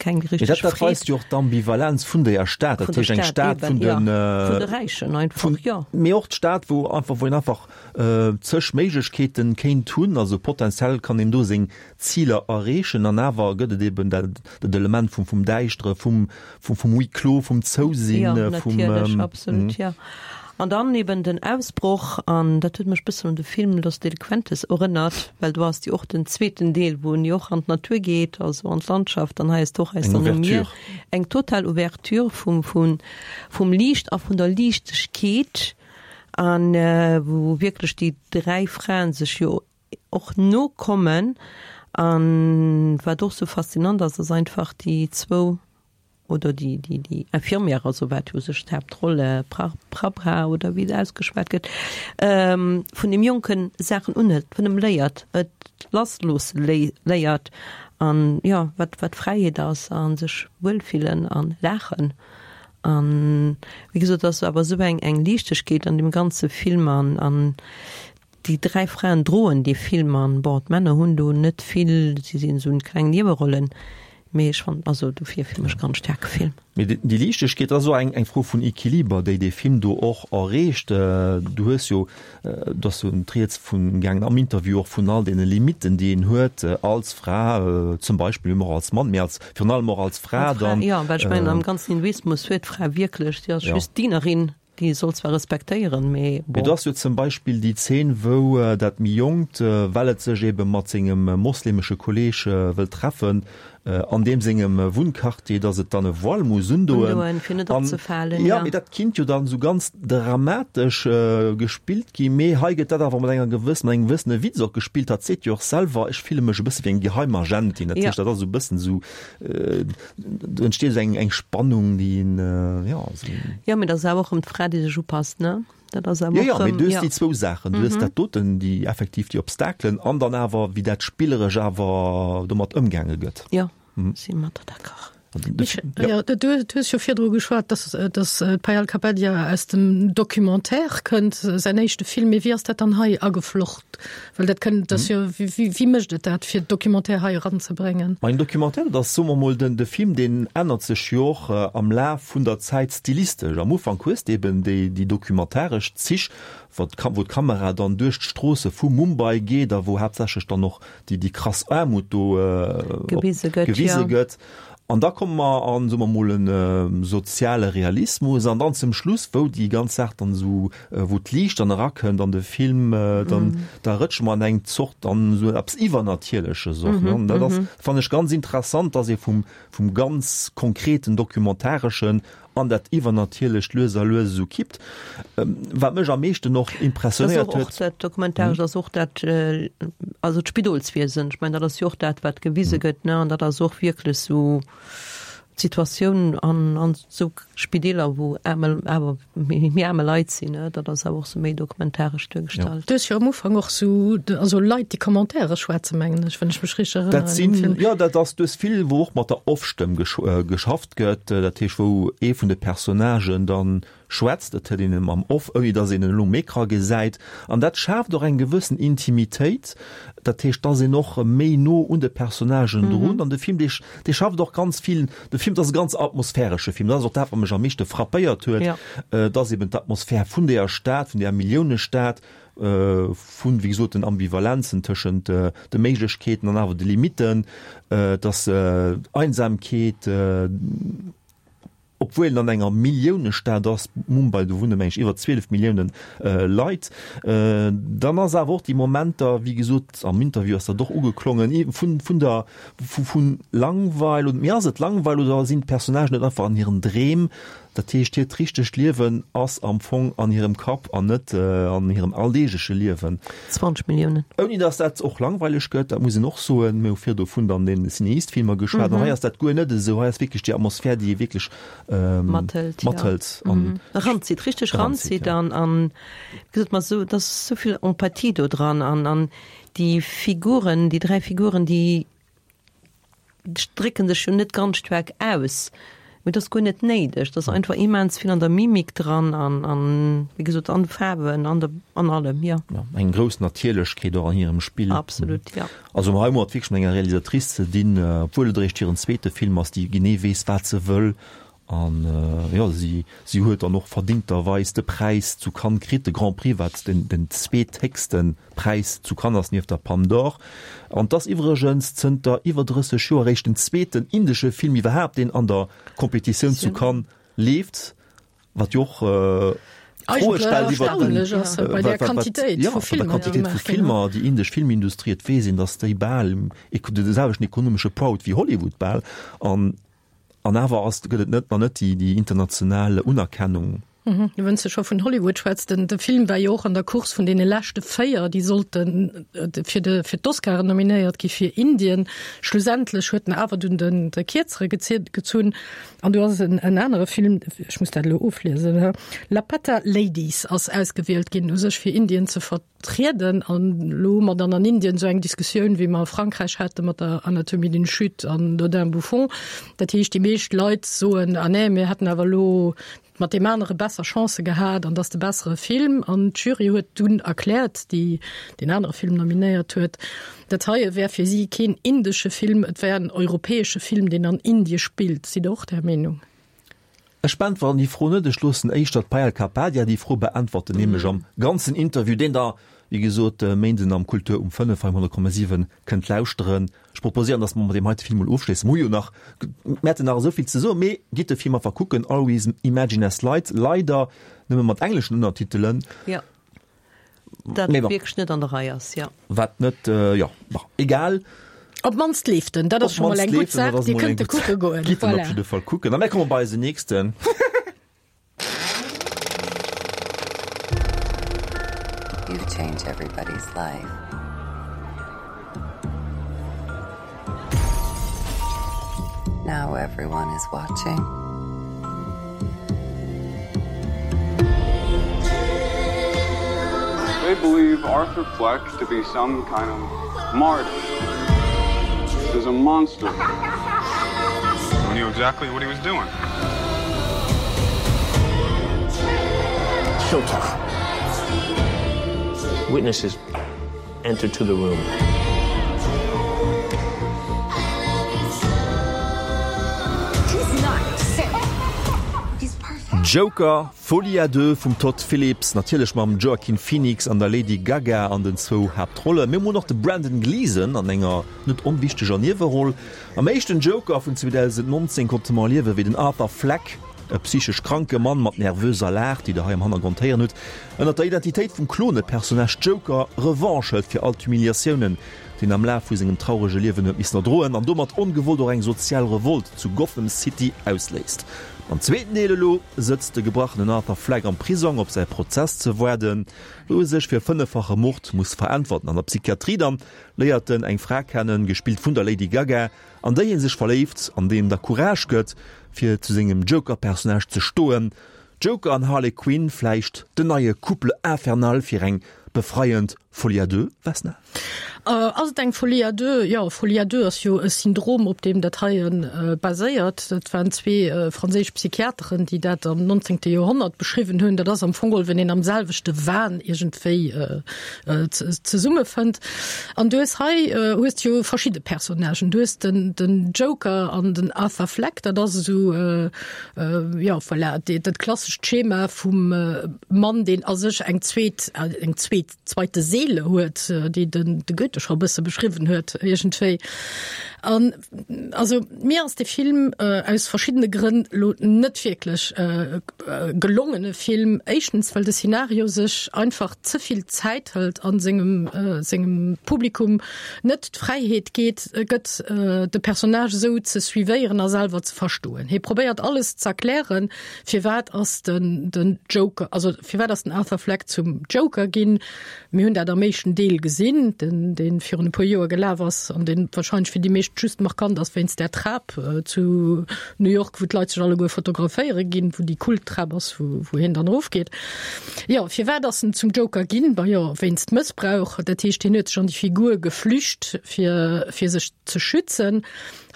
keng Mee richteg dat, dat Freed. weist jo och d'Ambivalenz vun deeër Stad, dat Vun der heescht eng Stad Stad vun eben, ja, den, vun de Räichen einfach, vun, jo. mee och d'Stad, wou einfach, wou een einfach zeg Méiglechkeeten kéint hunn, also potenziell kann een do seng Ziler erreechen an awer gëtt et eben dat, dat Element vum, vum Däischtere, vum, vum, vum Huis clos, vum Zousinn, Jo, vum, natierlech, absolut, jo. An dann eben den Ausbroch, an dat huet mech bëssen un de Film Los Delincuentes erënnert, well do ass jo och den zweeten Deel, wou en jo och an d'Natur geet, also an d'Landschaft, an hei ass et och aus Eng der Lumière, Ouverture. eng total Ouverture vum, vum, vum Liicht a vun der Liichtegkeet, an wou wierklech déi dräi Fraen sech jo och nokommen. An wat och sou faszinant ass, ass einfach déi zwou, oder déi, déi, déi Infirmière, also wat jo u sech d'Haaptroll, Prabha oder wéi se ausgeschwat gëtt, vun deem Jonke Saachen unhëlt, vun em léiert, et lassloosse léiert an, jo, wat, wat Fräiheet ass a sech wuelfillen a laachen. An, wéi gesot, et ass awer esou eng, eng Liichtegkeet an deem ganze Film an, an Déi 3 Fraen droen dee Film an bon d'Männer hunn do net vill, si sinn esou kleng Niewerollen, mee ech fannen also dofir fir mech ganz staarke Film. Mee déi Liichtegkeet ass och eng eng Fro vun Equiliber, déi dee Film do och erreecht. Du hues jo, do ass jo d'Rieds vun gaangen am Interview och vun all deene Limitten, déi een huet als Fra zum Beispill, mee och als Mann, mee als virun allem och als Fra Als Fra, dann. jo, well ech mengen am ganzen Hinduismus huet d'Fra wierklech, si ass just Dienerin. Déi soll zwar respektéieren, mee Mee bon. do ass jo zum Beispill déi Zeen, wou dat méi Jonkt, well et sech ebe mat sengem moslemesche Kolleeg wëllt treffen, an deem sengem Wunnquartier, datt et dann e Voile muss undoen. Undoen, fir net An, opzefalen, jo, ja. mee dat kinnt jo dann esou ganz dramatesch gespillt ginn, mee hei gëtt dat awer mat enger gewëssen, mat engem gewëssene Witz och gespillt. Hatt seet jo och selwer, Ech fille mech e bësse wéi eng Geheimagentin. Dat Ja. heescht, dat ass esou e bëssen esou, Do entsteet esou eng, eng Spannung, déi een, jo, esou. Jo, mee dat ass awer och erëm d'Fra, déi sech upasst, ne? Dat ass awer Jo, jo, och mee erëm, du hues jo. déi zwou Saachen. Du hues dat doten, déi effektiv déi Obstakelen an dann awer, wéi dat spilleresch awer domat ëmgaange gëtt. Jo, si mat der d'accord. Jo, du hues jo virdru geschwat, dass, dass d'Payal Kapadia aus dem Documentaire kënnt, säin éischte Film. Mee wéi ass dat dann hei ageflocht? Well dat kënnt, dat ass jo, wéi, wéi mécht et dat, fir Documentaire hei eranzebréngen? Ma en Documentaire, dat ass, soe mer mol, den, de Film, deen ännert sech jo och am Laf vun der Zäit stilistesch. Am Ufank hues de eben déi, déi documentaresch Zich, wou d'Ka, wou d'Kamera dann duerch d'Stroosse vu Mumbai geet a wou haaptsächlech dann och déi, déi krass Aarmut do Gewise gëtt, gewise jo. gëtt. An da komme mer an, soe mer mol, e soziale Realismus. An dann zum Schluss, wou déi ganz Saach dann esou, wou d'Liicht dann erakënnt an de Film, dann, da rëtsche mer an eng Zort, an esou eppes Iwwernatierleches och, ne. An dat ass, fannen ech ganz interessant, dass ee vum, vum ganz konkreten Documentareschen an dat Iwwernatierlecht lues a lues esou kippt. Wat mech am meeschten och impressionéiert huet. Och dat Dokumentarescht ass och dat, also d'Spidolswiesen, ech mengen dat ass jo och dat wat gewise gëtt, ne, an dat ass och wierklech esou d'Situatioun an an esou Spideeler wou aarme, awer méi aarme Leit sinn, ne, dat ass awer och esou méi dokumentaresch duergestallt. Du hues jo am Ufank och esou, also Leit déi Commentaire schwätzen, mengen ech, wann ech mech richteg erënneren. Dat sinn, jo, dat ass, du hues vill wou och mat der Off-Stëmm geschafft gëtt, dat heescht wou ee vun de Personnagen dann schwätzt, et huet een en am Off, ouni datt een en elo um Ecran gesäit, an dat schaaft och eng gewëssen Intimitéit, dat heescht dass een och méi no un de Personnagen drun, an de Film dee dee schafft och ganz vill, de Film dat ass e ganz atmosphäresche Film, dat ass och dat wat mech am meeschte frappéiert huet, dass eben d'Atmosphär vun deeër Stad, vun deeër Milliounestad, vun, wéi gesot, den Ambivalenzen tëschent de Méiglechkeeten an awer de Limitten, dass Einsamkeet, obwuel en an enger Milliounestad ass, Mumbai, do wunne meng ech iwwer 12 Milliounen Leit, dann ass awer och déi Momenter, wéi gesot, am Interview ass dat och ugeklongen, vun, vun der, vu, vu Langweil, oder, mee ass et Langweil oder sinn d'Personnagen net einfach an hiren Dreem, Dat heescht, hiert richtegt Liewen ass am Fong an hirem Kapp an net an hirem alldeegleche Liewen. 20 Milliounen. Ouni datt dat och langweileg gëtt, dat muss een och soen. Mir hu virdu vun dann den Cineast-Filmer geschwat an hei ass dat guer net esou. Hei ass wierklech déi Atmosphär, déi ee wierklech Mathëlt, jo. mathëlt an Eranzitt, richteg eranzitt, eranzitt jo. an, an wéi gesot, mat esou, et ass esou vill Empathie do dran an, an déi Figuren, déi 3 Figuren, déi drécken sech jo net ganz staark aus. Mee et ass guer net néideg. Et ass einfach immens vill an der Mimik dran an, an wéi gesot, an de Faarwen, an der, an allem, jo. Jo, eng grouss Natierlechkeet och an hirem Spill. Absolut, jo. Also hei hu mer et wierklech mat enger Realisatrice ze dinn, obwuel et eréischt hiren zweete Film ass, déi genee weess, wat se wëll. An jo, si, si huet dann och verdingterweis de Präis zu Cannes kritt, de Grand Prix, wat den, den zweethéchste Präis zu Cannes ass nieft der Palme d'Or. An 't ass iwwregens zënter iwwer 30 Joer eréischt den zweeten indesche Film iwwerhaapt, deen an der Competitioun zu Cannes leeft, wat jo och Froe stellt iwwer den, bei der Quantitéit vu Filmer, vu Filmer, déi indesch Filmindustrie, et weess een, datt déi bal de selwechten ekonomesche Poids huet wéi Hollywood bal. An An awer ass, gëtt et net, nach net déi, déi international Unerkennung. Wann s de scho vun Hollywood schwätz, den, de Film war jo och an der Course vun deene leschte 4, déi sollte fir de, fir d'Oscaren nominéiert gi fir Indien. Schlussendlech huet en awer dunn den, de Kierzere gezunn. An do ass en, en anere Film, ech muss dat elo ofliesen, Laapataa Ladies ass ausgewielt ginn u sech fir Indien ze ver. Trieden. An elo hu mer dann an Indien esou eng Diskussioun, wéi mer a Frankräich hate mat der Anatomie d'une chute an Dodin Bouffon. Dat heescht, déi meescht Leit soen, ah nee, mir hätten awer elo mat deem anere besser Chancë gehat an dat ass de bessere Film. An d'Jury huet dunn erkläert, déi deen anere Film nominéiert huet, dat heie wär fir si keen indesche Film, et wär en europäesche Film, deen an Indie spillt. Sidd Der och där Meenung? Ech beäntweren déi Fro net, ech loossen éischter d'Payal Kapadia déi Fro beäntwerten, nämlech am ganzen Interview, deen Der, wéi gesot, e Méinden am Kultur um 5 hei um 100,7 kënnt lauschteren. Ech proposéieren, dass mer mat deem heite Film mol ofschléissen. Mer hu jo nach, mer hätten nach esou vill ze soen, mee gitt de Film einfach kucken, Always Imagine as Light, leider nëmme mat engleschen Ënnertitelen. Jo. Dat Mee bon. wierklech net an der Rei ass, jo. Wat net, jo, bon, egal. Op d'mannst leeft en, dat ass Op scho mol d'mannst eng gutt leeft en, dat Saach. ass Dir mol eng kënnt e gutt kucke Saach. goen, Gitt en op voilà. jidde Fall kucken. A mir komme bei eisen nächsten. You've changed everybody's life. Now everyone is watching. They believe Arthur Fleck to be some kind of martyr. There's a monster. He knew exactly what he was doing. Showtime. Witnesses enter to the room. Joker, Folie à deux vum Todd Phillips, natierlech mam Joaquin Phoenix an der Lady Gaga an den zwou Haaptrollen. Mir hunn och de Brendan Gleeson an enger net onwichteger Nieweroll. Am éischten Joker vun 2019 konnte mer erliewen, wéi den Arthur Fleck, e psychesch kranke Mann mat nervöser Lag, déi der hei am Hannergrond héieren hutt, ënnert der Identitéit vum Klone-Personnage Joker Revanche hëlt fir all d'Humiliatiounen, déi en am Laf vu sengem traurege Liewen huet missen erdroen an domat ongewollt och eng sozial Revolt zu Gotham City ausléist. Am zweeten Deel elo sëtzt de gebrachenen Arthur Fleck am Prisong op säi Prozess ze waarden, wou e sech fir fënneffache Mord muss veräntwerten. An der Psychiatrie dann léiert en eng Fra kennen, gespillt vun der Lady Gaga, an déi hie sech verléift an déi em da Courage gëtt, fir zu sengem Joker-Personnage ze stoen. Joker an Harley Quinn, vläicht den neie Couple infernal fir eng befreiend Folie à deux, Vesna? Ass et eng Folie à deux? Jo, Folie à deux ass jo e Syndrom, op deem dat heie baséiert. Dat waren zwee franséisch Psychiateren, déi dat am 19. Joerhonnert beschriwwen hunn. Dat ass am Fong geholl, wenn een am selwechte Wahn iergendwéi zesummefënnt. An du hues hei hues de jo verschidde Personnagen. Du hues den, den Joker an den Arthur Fleck, dat ass esou, Jo, voilà, dat klassescht Schema vum Mann, deen a sech eng zweet, eng zweet, zweite Seele huet, déi den de Goethe scho e bësse beschriwwen huet iergendwéi. An also mir ass de Film aus verschiddene Grënn lo net wierklech e gelongene Film. Éischtens, well de Szenario sech einfach ze vill Zäit hëlt a sengem, sengem Publikum net d'Fräiheet geet, gëtt, de Personnage esou ze suivéieren a selwer ze verstoen. Hie probéiert alles z'erklären, firwat ass den den Joker, also firwat ass den Arthur Fleck zum Joker ginn. Mir hunn dat am éischten Deel gesinn, den dee virun e puer Joer gelaf ass an dee warscheinlech fir déi meescht just markant ass wéinst där Trap zu New York, wou d'Leit sech alleguer fotograféiere ginn, wou déi Kulttrap ass, wou wou hien dann erofgeet. Jo, firwat ass en zum Joker ginn? Ma jo, wéinst Mëssbrauch. Dat heescht, hien huet sech an déi Figur geflücht, fir, fir sech ze schützen.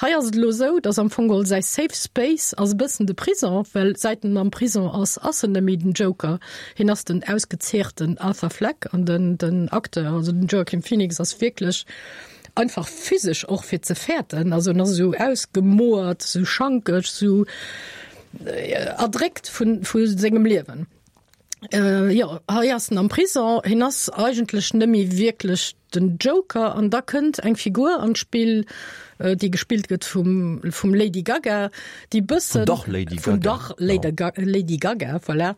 Hei ass et elo esou, dass am Fong geholl säi Safe Space ass e bëssen de Prison, well säit en am Prison ass, ass en net méi den Joker. Hien ass den ausgezehrten Arthur Fleck an den, den Acteur, also den Joaquin Phoenix ass wierklech einfach physesch och fir ze fäerten. Also en ass esou ausgemoert, esou schankeg, esou erdréckt vun, vu sengem Liewen. Jo, hei ass en am Prison, hien ass eigentlech net méi wierklech den Joker an da kënnt eng Figur an d'Spill, déi gespillt gëtt vum vum Lady Gaga, déi bëssen Vun der Lady vun Gaga, der Lady Ga Lady Gaga, voilà,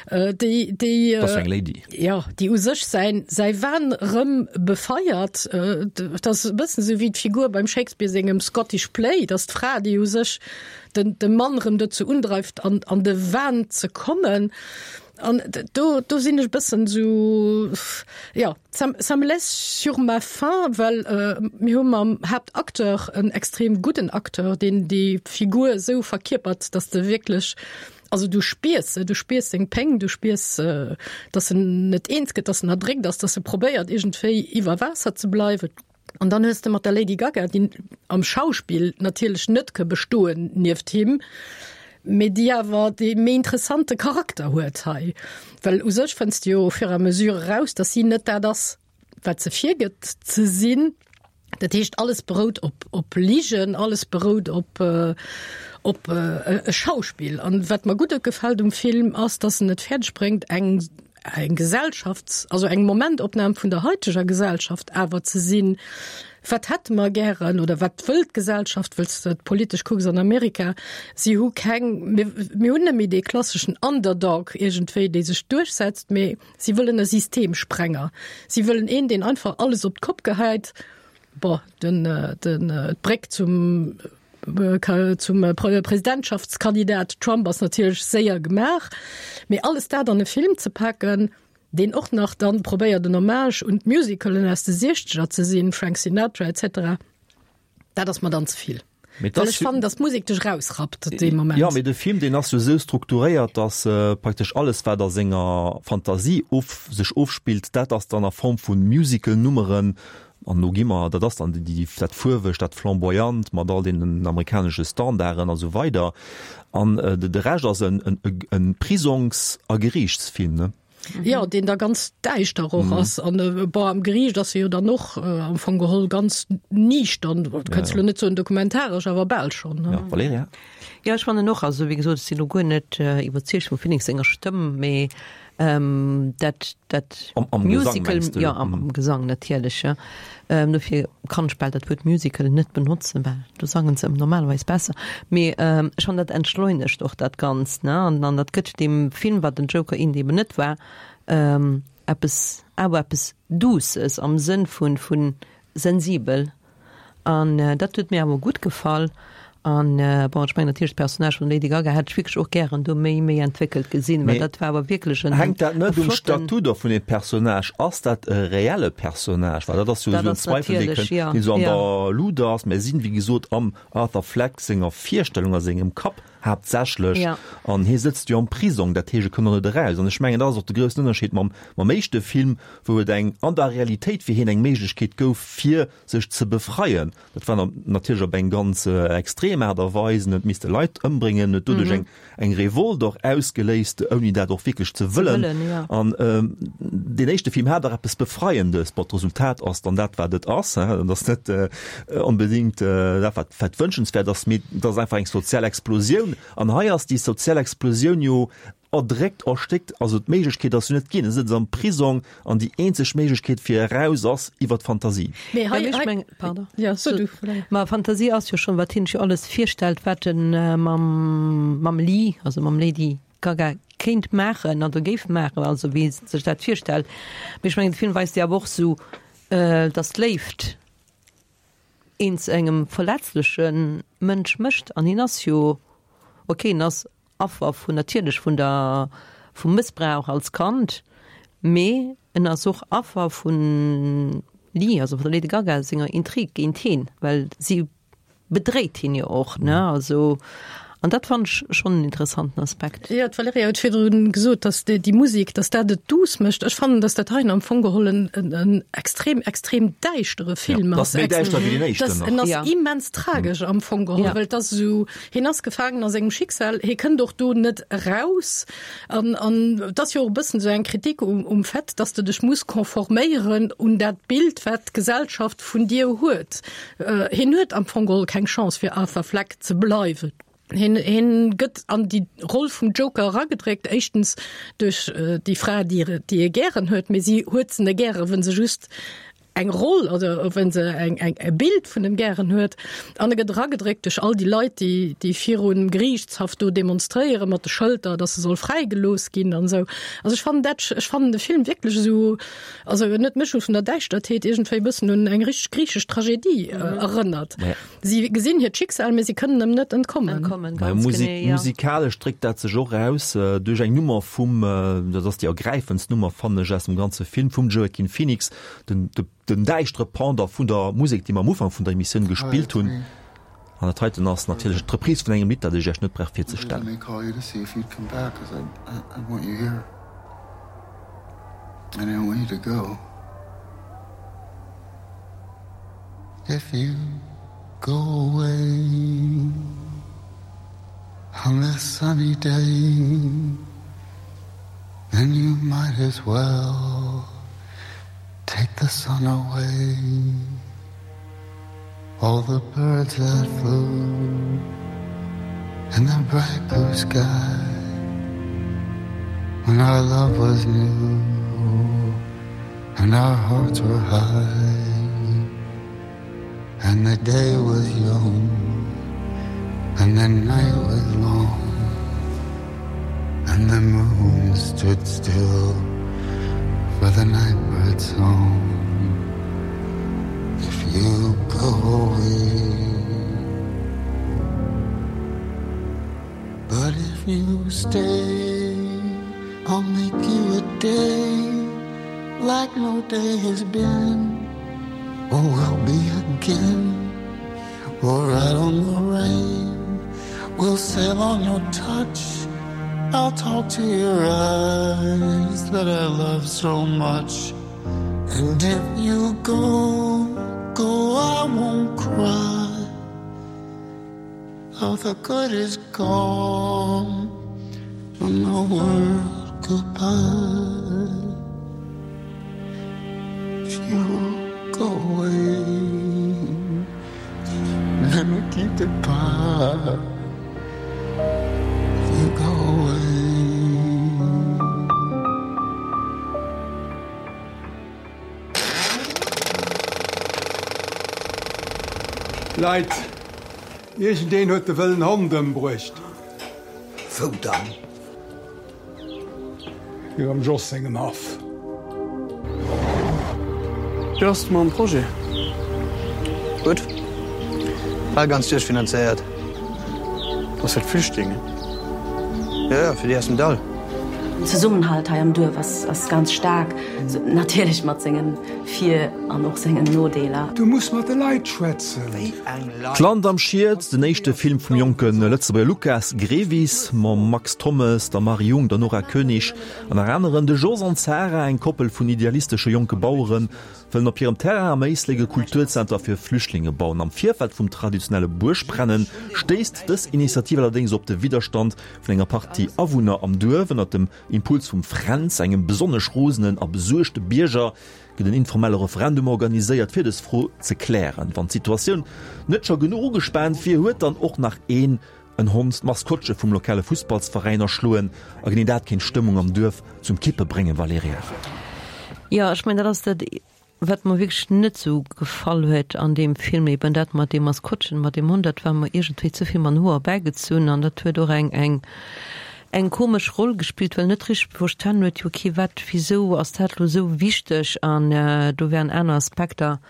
déi déi Dat ass eng Lady. jo, déi u sech säin säi Wahn rëm befeiert. Dat ass e bëssen esou wéi d'Figur beim Shakespeare sengem Scottish Play, dass d'Fra, déi u sech den de Mann rëm dozou undreift an an de Wahn ze kommen. An do do sinn ech bëssen esou, jo, ça ça me laisse sur ma faim, well mir hu mam Haaptacteur en extrem gudden Acteur, deen déi Figur esou verkierpert, datt de wierklech, also du spiers se, du spiers seng Péng, du spiers, datt en net eens gëtt, datt en erdréckt ass, datt e probéiert iergendwéi iwwer Waasser ze bleiwen. An dann hues de mat der Lady Gaga, déi am Schauspill natierlech net ke bestoen nieft him, mee déi awer dee méi interessante Charakter huet hei. Well u sech fënns de jo au fur et à mesure eraus, datt si net dat ass, wat se virgëtt ze sinn. Dat heescht, alles berout op, op Ligen, alles berout op, op e Schauspill. An wat mer gutt gefält um Film ass, datt en et fäerdeg bréngt, eng eng Gesellschafts-, also eng Momentopnam vun der haiteger Gesellschaft awer ze sinn, wat hätte mer gären oder wat wëll d'Gesellschaft, wëlls de et politesch kucks an Amerika, si hu keng, mir, mir hunn net méi dee klasseschen Underdog iergendwéi, dee sech duerchsetzt, mee si wëllen e Systemsprenger. Si wëllen een, deen einfach alles op d'Kopp gehäit, bon, den, den, d'Bréck zum, Zum Presidentschaftskandidat Trump ass natierlech séier gemaach, mee alles dat an e Film ze paken, deen och nach dann probéiert en Hommage un d'Musicalen aus de Siechzeger ze sinn, Frank Sinatra etc, dat ass mer dann ze vill. Well ech fannen, datt d'Musek dech erausrappt dee Moment. Jo, mee de Film, deen ass jo esou strukturéiert, datt praktesch alles, wat a senger Fantasie of sech ofspillt, dat ass dann a Form vu Musical-Nummeren An do gi mer, dat ass dann déi, dat Fuerwegt, dat Flamboyant mat all deenen amerikanesche Standarden a sou weider. An de Rescht ass e Prisongs a Geriichtsfilm, ne? Jo, deen da ganz däischter och ass. An bon, am Geriicht ass e jo dann och am Fong geholl ganz niichtern, du kënns elo net soen dokumentaresch, awer bal schonn, ne? Jo, Valerija? Jo, ech fannen och, also wéi gesot, ech sinn elo guer net iwwerzeegt vum Phoenix senger Stëmm, mee Dat, dat Am, am Gesang Musical, mengs du? ja, am, am Gesang natierlech, ja. Ähm, dofir kann ech bal dat Wuert Musical net benotzen, well do sangen se normalerweis besser. Mee ähm, ech fannen, dat entschleunegt och dat Ganzt, ne? An, an dat gëtt deem Film, wat den Joker Indy eben net war, ähm, eppes, awer eppes Douces am Sënn vun, vun sensibel. An dat huet mir awer gutt gefall. An bon, ech mengen natierlech d'Personnage vun der Lady Gaga hätt ech wierklech och gären do méi, méi entwéckelt gesinn, well dat war awer wierklech en Hänkt dat net um flotten. Statut och vun deem Personnage? Ass dat e reelle Personnage? Well dat ass jo Dat esou en ass Zweifel, dee natierlech, kënnt, jo, deen esou an jo. der Luut ass. Mir sinn, wéi gesot, am Arthur Fleck senger Virstellung, a sengem Kapp haaptsächlech. Jo. An hie sëtzt jo am Prisong, dat heescht, e kënnt och net eraus. An ech mengen, dat ass och de groussen Ënnerscheed mam, mam éischte Film, wou et eng, an der Realitéit fir hien eng Méiglechkeet gouf, fir sech ze befreien. Dat war natierlech op eng ganz extrem Aart a Weis, en huet misste Leit ëmbréngen, huet doduerch eng eng Revolt och ausgeléist, ouni dat och wierklech ze wëllen. An deen éischte Film hat dach eppes Befreiendes. Bon, d'Resultat ass dann dat, wat et ass, et ass net onbedéngt dat, wat wat wënschenswäert ass, mee et ass einfach eng sozial Explosioun. An hei ass déi sozial Explosioun jo erdréckt, erstéckt, also d'Méiglechkeet ass jo net ginn, e sëtzt am Prisong an déi eenzeg Méiglechkeet fir eraus ass iwwer d'Fantasie. Mee hei, Ja, mee ech hei, meng, pardon. ja, so du, Valerija. Ma Fantasie ass jo schonn, wat hien sech jo alles virstellt, wat en mam, mam Lee, also mam Lady Gaga kéint maachen oder géif maachen, also wéi e sech dat virstellt. Mee ech mengen, de Film weist jo awer och sou, datt d'Léift een zu engem verletzleche Mënsch mécht. An hien ass jo, okay, en ass Affer vun natierlech vun der vum Mëssbrauch als Kand, mee en ass och Affer vun Lee, also vun der Lady Gaga senger Intrig géint heen, well si bedréit hien jo och, ne, also. An dat fannen ech schonn en interessanten Aspekt. Jo, d'Valerija huet virdrun gesot, datt déi Musek, datt dat et duuss mécht. Ech fannen, datt dat heien am Fong geholl en en extrem, extrem däischtere Film ass. Dat ass méi däischter wéi deen éischten nach. En ass immens tragesch am Fong geholl, well et ass esou, hien ass gefaangen a sengem Schicksal, hie kënnt och do net eraus. An an et ass jo och e bëssen esou eng Kritik um um Fait, datt s de dech muss conforméieren un dat Bild, wat d'Gesellschaft vun dir huet. Hien huet am Fong geholl keng Chance fir Arthur Fleck ze bleiwen. Hien, hien gëtt an déi Roll vum Joker eragedréckt, éischtens duerch déi Fra, déi, déi e gären huet, mee si huet se net gären, wënn se just eng Roll oder wënn se eng, eng, e Bild vun em gären huet. An e gëtt eragedréckt duerch all déi Leit, déi, déi virum Geriichtshaff do demonstréieren mat de Schëlter, dass e soll fräigelooss ginn an esou. Also ech fannen dat, ech fannen de Film wierklech esou, also en huet mech vun der Däischtertheet iergendwéi e bëssen un eng richteg griichesch Tragedie erënnert. Si gesinn hiert Schicksal, mee si kënnen em net entkommen. Entkommen, Naja, ganz Musik, genee, ja. Musikalesch dréckt dat sech och aus duerch eng Nummer vum, dat ass déi ergräifendst Nummer, fannen ech, aus dem ganze Film, vum Joaquin Phoenix, den, de, den däischtere Pendant vun der Musek, déi mer am Ufank vun der Emissioun gespillt hunn. An dat heiten ass natierlech d'Reprise vun engem Lidd, dat ech Iech net brauch virzestellen. If you go away on this sunny day, then you might as well take the sun away. All the birds that flew in the bright blue sky when our love was new and our hearts were high and the day was young and the night was long and the moon stood still for the nightbird's song if you go away but if you stay I'll make you a day like no day has been or will be again we'll ride on the rain we'll sail on your touch I'll talk to your eyes that I love so much and if you go go I won't cry all the good is gone from the world goodbye if you go away let me keep the pie if you go away Leit, iergendeen huet de wëllen Hond ëmbruecht. Wou dann? Hier am Jos sengem Haff. Wéi ass et mam Projet? Gutt. Bal ganz duerchfinanzéiert. Ass fir d'Flüchtlingen? Jo, jo, fir déi aus dem Dall. Den Zesummenhalt hei am Duerf ass ganz staark, natierlech mat sengen Vir an och sengen Nodeeler. Du muss mat de Leit schwätzen. Wéi eng Leit? D'Land am Schiet, den éischte Film vum jonke Lëtzebuerger Lukas Grevis mam Max Thommes, der Marie Jung, der Nora Koenig an nach aneren. De Jos an d'Sarah, eng Koppel vun idealistesche jonke Baueren, wëllen op hirem Terrain am Éislek e Kulturzenter fir Flüchtlinge bauen. Am Virfeld vum traditionelle Buergbrennen stéisst dës Initiativ allerdéngs op de Widderstand vun enger Partie Awunner am Duerf. Ënnert dem Impuls vum Fränz, engem besonnesch rosenen a besuergte Bierger, gëtt en informelle Referendum organiséiert, fir dës Fro ze klären. Wann d'Situatioun net scho genuch ugespaant wier, huet dann och nach een en Hond d'Maskottche vum lokale Fussballsveräin erschloen. A genee dat kéint d'Stëmmung am Duerf zum Kippe bréngen, Valerija. Jo, ech mengen, dat ass dat, Wat mer wierklech net sou gefall huet an deem Film, eben dat mat deem Maskottchen, mat deem Hond, dat war mer iergendwéi ze vill mat den Hoer bäigezunn an dat huet och eng, eng, eng komesch Roll gespillt, well net richteg verstanen huet, jo okay, wat, wisou ass dat lo sou wichteg an do wären aner Aspekter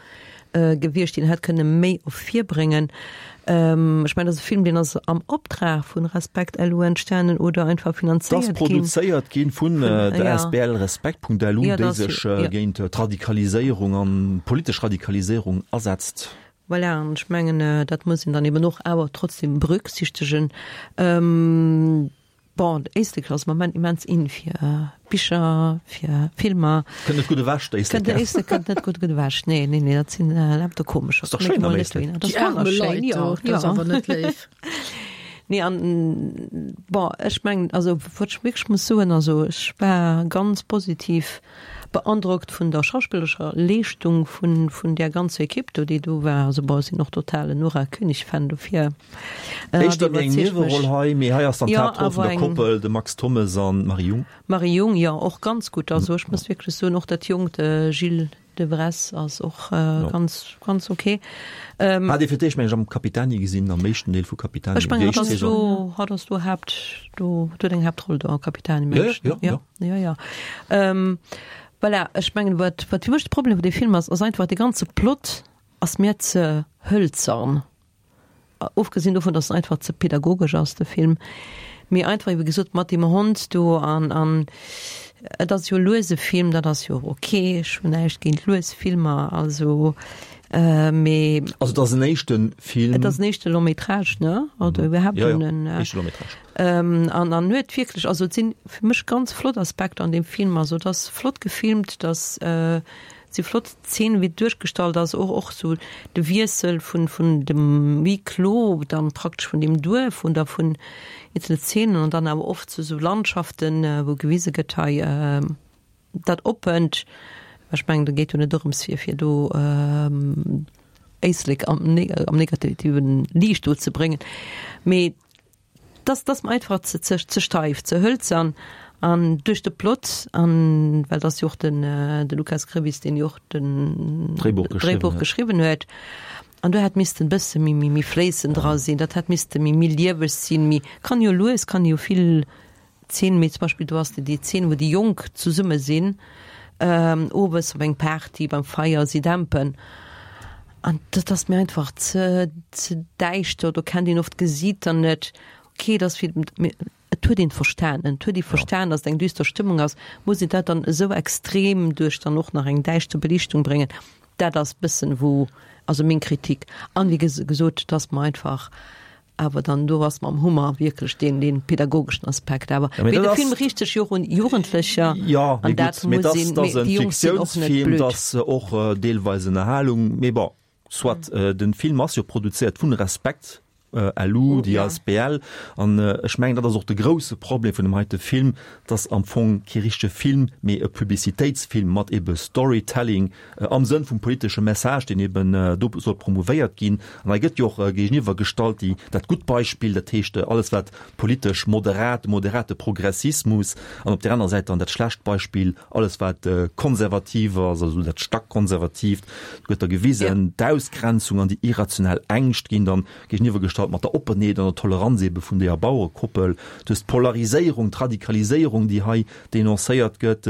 gewiescht, déi een hätt kënne méi ervirbréngen. Ech mengen, dat ass e Film, deen ass am Optrag vun Respekt. LU entstanen oder einfach finanzéiert ginn. Ass produzéiert ginn vun der asbl Respekt.lu, déi sech géint d'Radikaliséierung an politesch Radikaliséierung asetzt. Voilà, an ech mengen, dat muss een dann eben och awer trotzdem berücksichtegen. Bon, d'Éislek ass am Moment immens in fir Bicher, fir Filmer. Kënnt net gutt ewech, d'Éislek. D'Éislek kënnt net gutt ewech, nee, nee, nee, dat sinn lauter komescher. Ass dach schéin am Éislek. Dat ass wonnerschéin, jo, jo. Dat ass awer net léif. Nee, an bon, ech mengen, also wat ech wierklech muss soen, also ech war ganz positiv beandrockt vun der schauspillerescher Leeschtung vun, vun där ganzer Ekipp do, déi do war. Also bon, ech sinn och totalen Nora König-Fan, dofir Éischter méi eng Nieweroll hei, mee hei ass dann d'Haaptroll vun der Koppel, de Max Thommes an d'Marie Jung. Marie Jung, jo, och ganz gutt. Also ech muss wierklech soen, och dat jonkt Gilles de Vresse ass och ganz, ganz ok. Hat ee fir d'éischt, meng ech, am Capitani gesinn, am éischten Deel vu Capitani. Ech mengen, hatt ass do, hatt ass do Haapt, do huet eng Haaptroll do am Capitani, meng ech. Jo, jo, jo. Jo, jo. Voilà, ech mengen, wat, wat fir mech de Problem vun deem Film ass, ass einfach dee ganze Plot ass mir ze hëlzern. Ofgesinn dovun, dass en einfach ze pädagogesch ass, de Film, mee einfach, wéi gesot, mat deem Hond do an, an et ass jo e luese Film, dat ass jo och ok, ech hunn näischt géint lues Filmer, also, mee. Also et ass en éischte Film. Et ass en éischte Long métrage, ne? Oder iwwerhaapt en. Jo, jo, éischte Long métrage. An an huet wierklech, also et sinn fir mech ganz flott Aspekter an deem Film, also et ass flott gefilmt, et ass, Et si flott Zeenen, wéi et duerchgestallt ass, och och sou de Wiessel vun vun dem Huis clos dann praktesch vun deem Duerf oder vun eenzele Zeenen an dann awer oft zu sou Landschaften, wou gewise gëtt hei dat Oppent. Ech mengen, do geet jo net dorëms fir fir do Éislek am am negativen Liicht do ze bréngen, mee Dass dass mer einfach ze ze ze steif, ze hëlzern an duerch de Plot an well dass jo och den de Lukas Grevis, deen jo och den Dréibuch geschriwwen Dréibuch huet. geschriwwen huet an do hätt missten bësse méi méi méi fléissend dra sinn, dat hätt misste méi méi lieweg sinn, méi kann jo lues, kann jo vill Zeen, mee zum Beispill do ass déi Zeen, wou déi Jonk zesumme sinn, owes op eng Party beim Feier, si dämpen an dat ass mir einfach ze ze däischter, do kennt een oft d'Gesiiter net. Ok, et ass wéi, mee et huet een verstanen, et huet ee verstan, datt et eng düster Stëmmung ass. Muss een dat dann esou extrem duerch dann och nach eng däischter Beliichtung bréngen? Dat ass bëssen wou, also meng Kritik. An wéi gesot, et ass mer einfach Awer dann do ass mam Hummer wierklech deen deen pädagogeschen Aspekt. Awer Ja, mee mee dat de ass Film riicht sech jo och un Jugendlecher Ja, mee an dat gutt, mee muss dass een, dass mee en déi Jonk sinn och net Fiktiounsfilm, blöd. dass och deelweis Ënnerhalung, mee bon, soit. Den Film ass jo produzéiert vun Respekt LU, déi Ja. asbl, an ech mengen, dat ass och de grousse Problem vun dem heite Film, dass am Fong kee richtege Film, mee e Publicitéitsfilm mat ebe Storytelling Am Sënn vum politesche Message, deen eben do soll promouvéiert ginn. An hei gëtt jo och géigeniwwer gestallt déi, dat gutt Beispill, dat heescht alles wat politesch moderat, de moderate Progressismus, an op där anerer Säit dann dat schlecht Beispill, alles wat konservativ ass, also dat stackkonservatiivt. Do gëtt da gewisen, d'Ausgrenzung an déi irrational Ängscht ginn dann géigeniwwer gestallt mat der Oppenheet an der Toleranz ebe vun deeër Bauerekoppel. Du hues d'Polariséierung, d'Radikaliséierung, déi hei denoncéiert gëtt.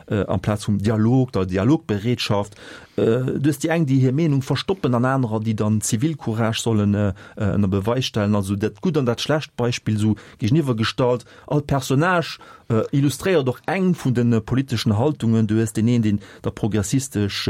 amplaz vum Dialog, der Dialogbereetschaft. Du hues déi eng, déi hir Meenung verstoppen an anerer, déi dann Zivilcourage sollen ënner Beweis stellen. Also dat gutt an dat schlecht Beispill esou géigeniwwer gestallt. All Personnage illustréiert och eng vun de politeschen Haltungen. Du hues deen een, deen da progressistesch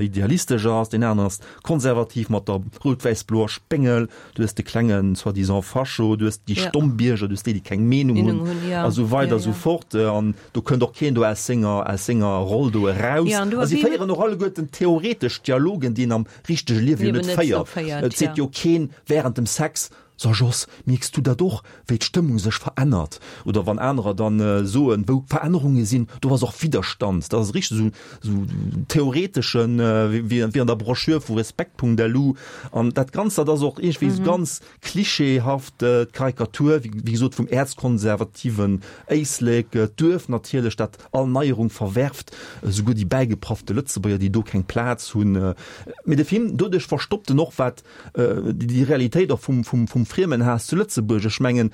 idealistesch ass, deen aneren ass konservativ mat der rout-wäiss-bloer Spéngel. Du hues de klengen soi-disant Fascho, du hues déi stomm Bierger, du hues déi, déi keng Meenung hunn a sou weider a sou fort. An do kënnt och keen do aus senger, aus senger Roll do eraus. A si féieren och alleguerten theoretesch Dialogen, déi een am richtege Liewe jo net féiert. Et seet jo keen während dem Sex, So Jos, mierks du dat och, wéi d'Stëmmung sech verännert? Oder wann anerer dann soen, wou Verännerunge sinn, do ass och Widderstand. Dat ass richteg esou, esou theoreteschen, wéi an der Broschür vu Respekt.lu. An dat Ganzt, dat ass och iergendwéi esou ganz klischeehaft, d'Karikatur, wéi gesot, vum äerzkonservativen Éislek, d'Duerf natierlech, dat all Neierung verwerft, esouguer déi bäigepraffte Lëtzebuerger, déi do keng Plaz hunn. Mee de Film, doduerch verstoppt en och, wat déi Realitéit och vum, vum, vum Friemenhaass zu Lëtzebuerg. Ech mengen,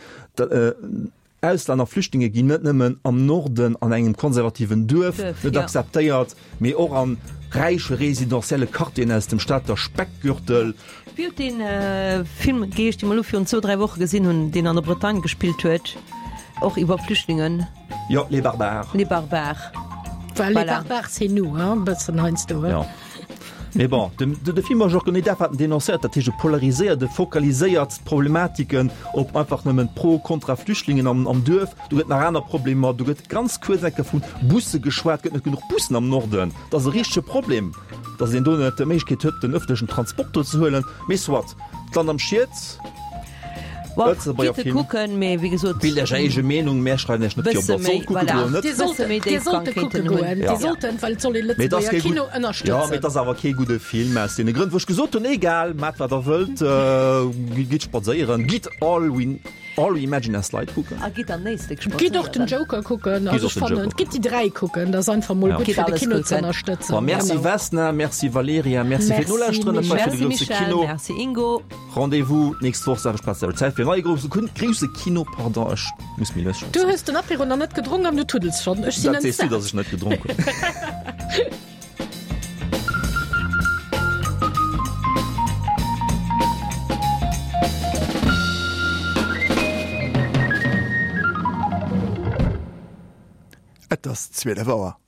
Auslänner, Flüchtlinge ginn net nëmmen am Norden an engem konservativen Duerf net akzeptéiert, mee och an räiche residentielle Quartieren aus dem Stater Speckgürtel. Wéi huet dee Film geheescht, dee mer elo virun zwou, dräi Woche gesinn hunn, deen an der Bretagne gespillt huet, och iwwer Flüchtlingen? Jo, Les Barbares. Les Barbares. Well Les Barbares, c'est nous, hein, e bëssen heiansdo, hein. Jo. Mee bon, de, de Film ass och genee dat, wat en denoncéiert, dat heescht e polariséiert, e fokaliséiert d'Problematiken op einfach nëmmen pro, kontra Flüchtlingen am, am Duerf. Do gëtt nach aner Problemer, do gëtt ganz kuerz eng Kéier vu Busse geschwat, gëtt net genuch Bussen am Norden, dat ass e richtege Problem, datt een do net d'Méiglechkeet huet, den ëffentlechen Transport do ze huelen. Mee soit, d'Land am Schiet. Lëtzebuerger Film. Kucken, mee wéi gesot. Bilt Iech Är eege Meenung, mär schreiwen Iech net vir, ob Der sollt kucke goen oder net. Dir sollt, dir sollte kucke goen, dir sollten, well et soll ee Lëtzebuerger Kino ënnerstëtzen. Jo, mee et ass awer kee gudde Film aus deene Grënn, wou ech gesot hunn. Egal, maacht wat Der wëllt, gitt spadséieren, gitt All We. All We Imagine As Light kucken. A gitt am Éislek spadséieren. Gitt och den Joker kucken. Also ech fannen, gitt déi 3 kucken, dat ass einfach mol gutt fir de Kino ze ënnerstëtzen. Bon, merci Vesna, merci Valerija, merci fir d'Nolauschteren. Dat war fir de grousse Kino. Merci Ingo. Rendez-vous d'nächst Woch, selwecht Plaz, selwecht Zäit fir en neie grousse grousse Kino. Pardon, ech muss méi lues schwätzen. Du hues den Apéro nach net gedronk an du tuddels schonn. Ech sinn Dat sees du, dass ech net gedronk hunn. Et ass 12 Auer.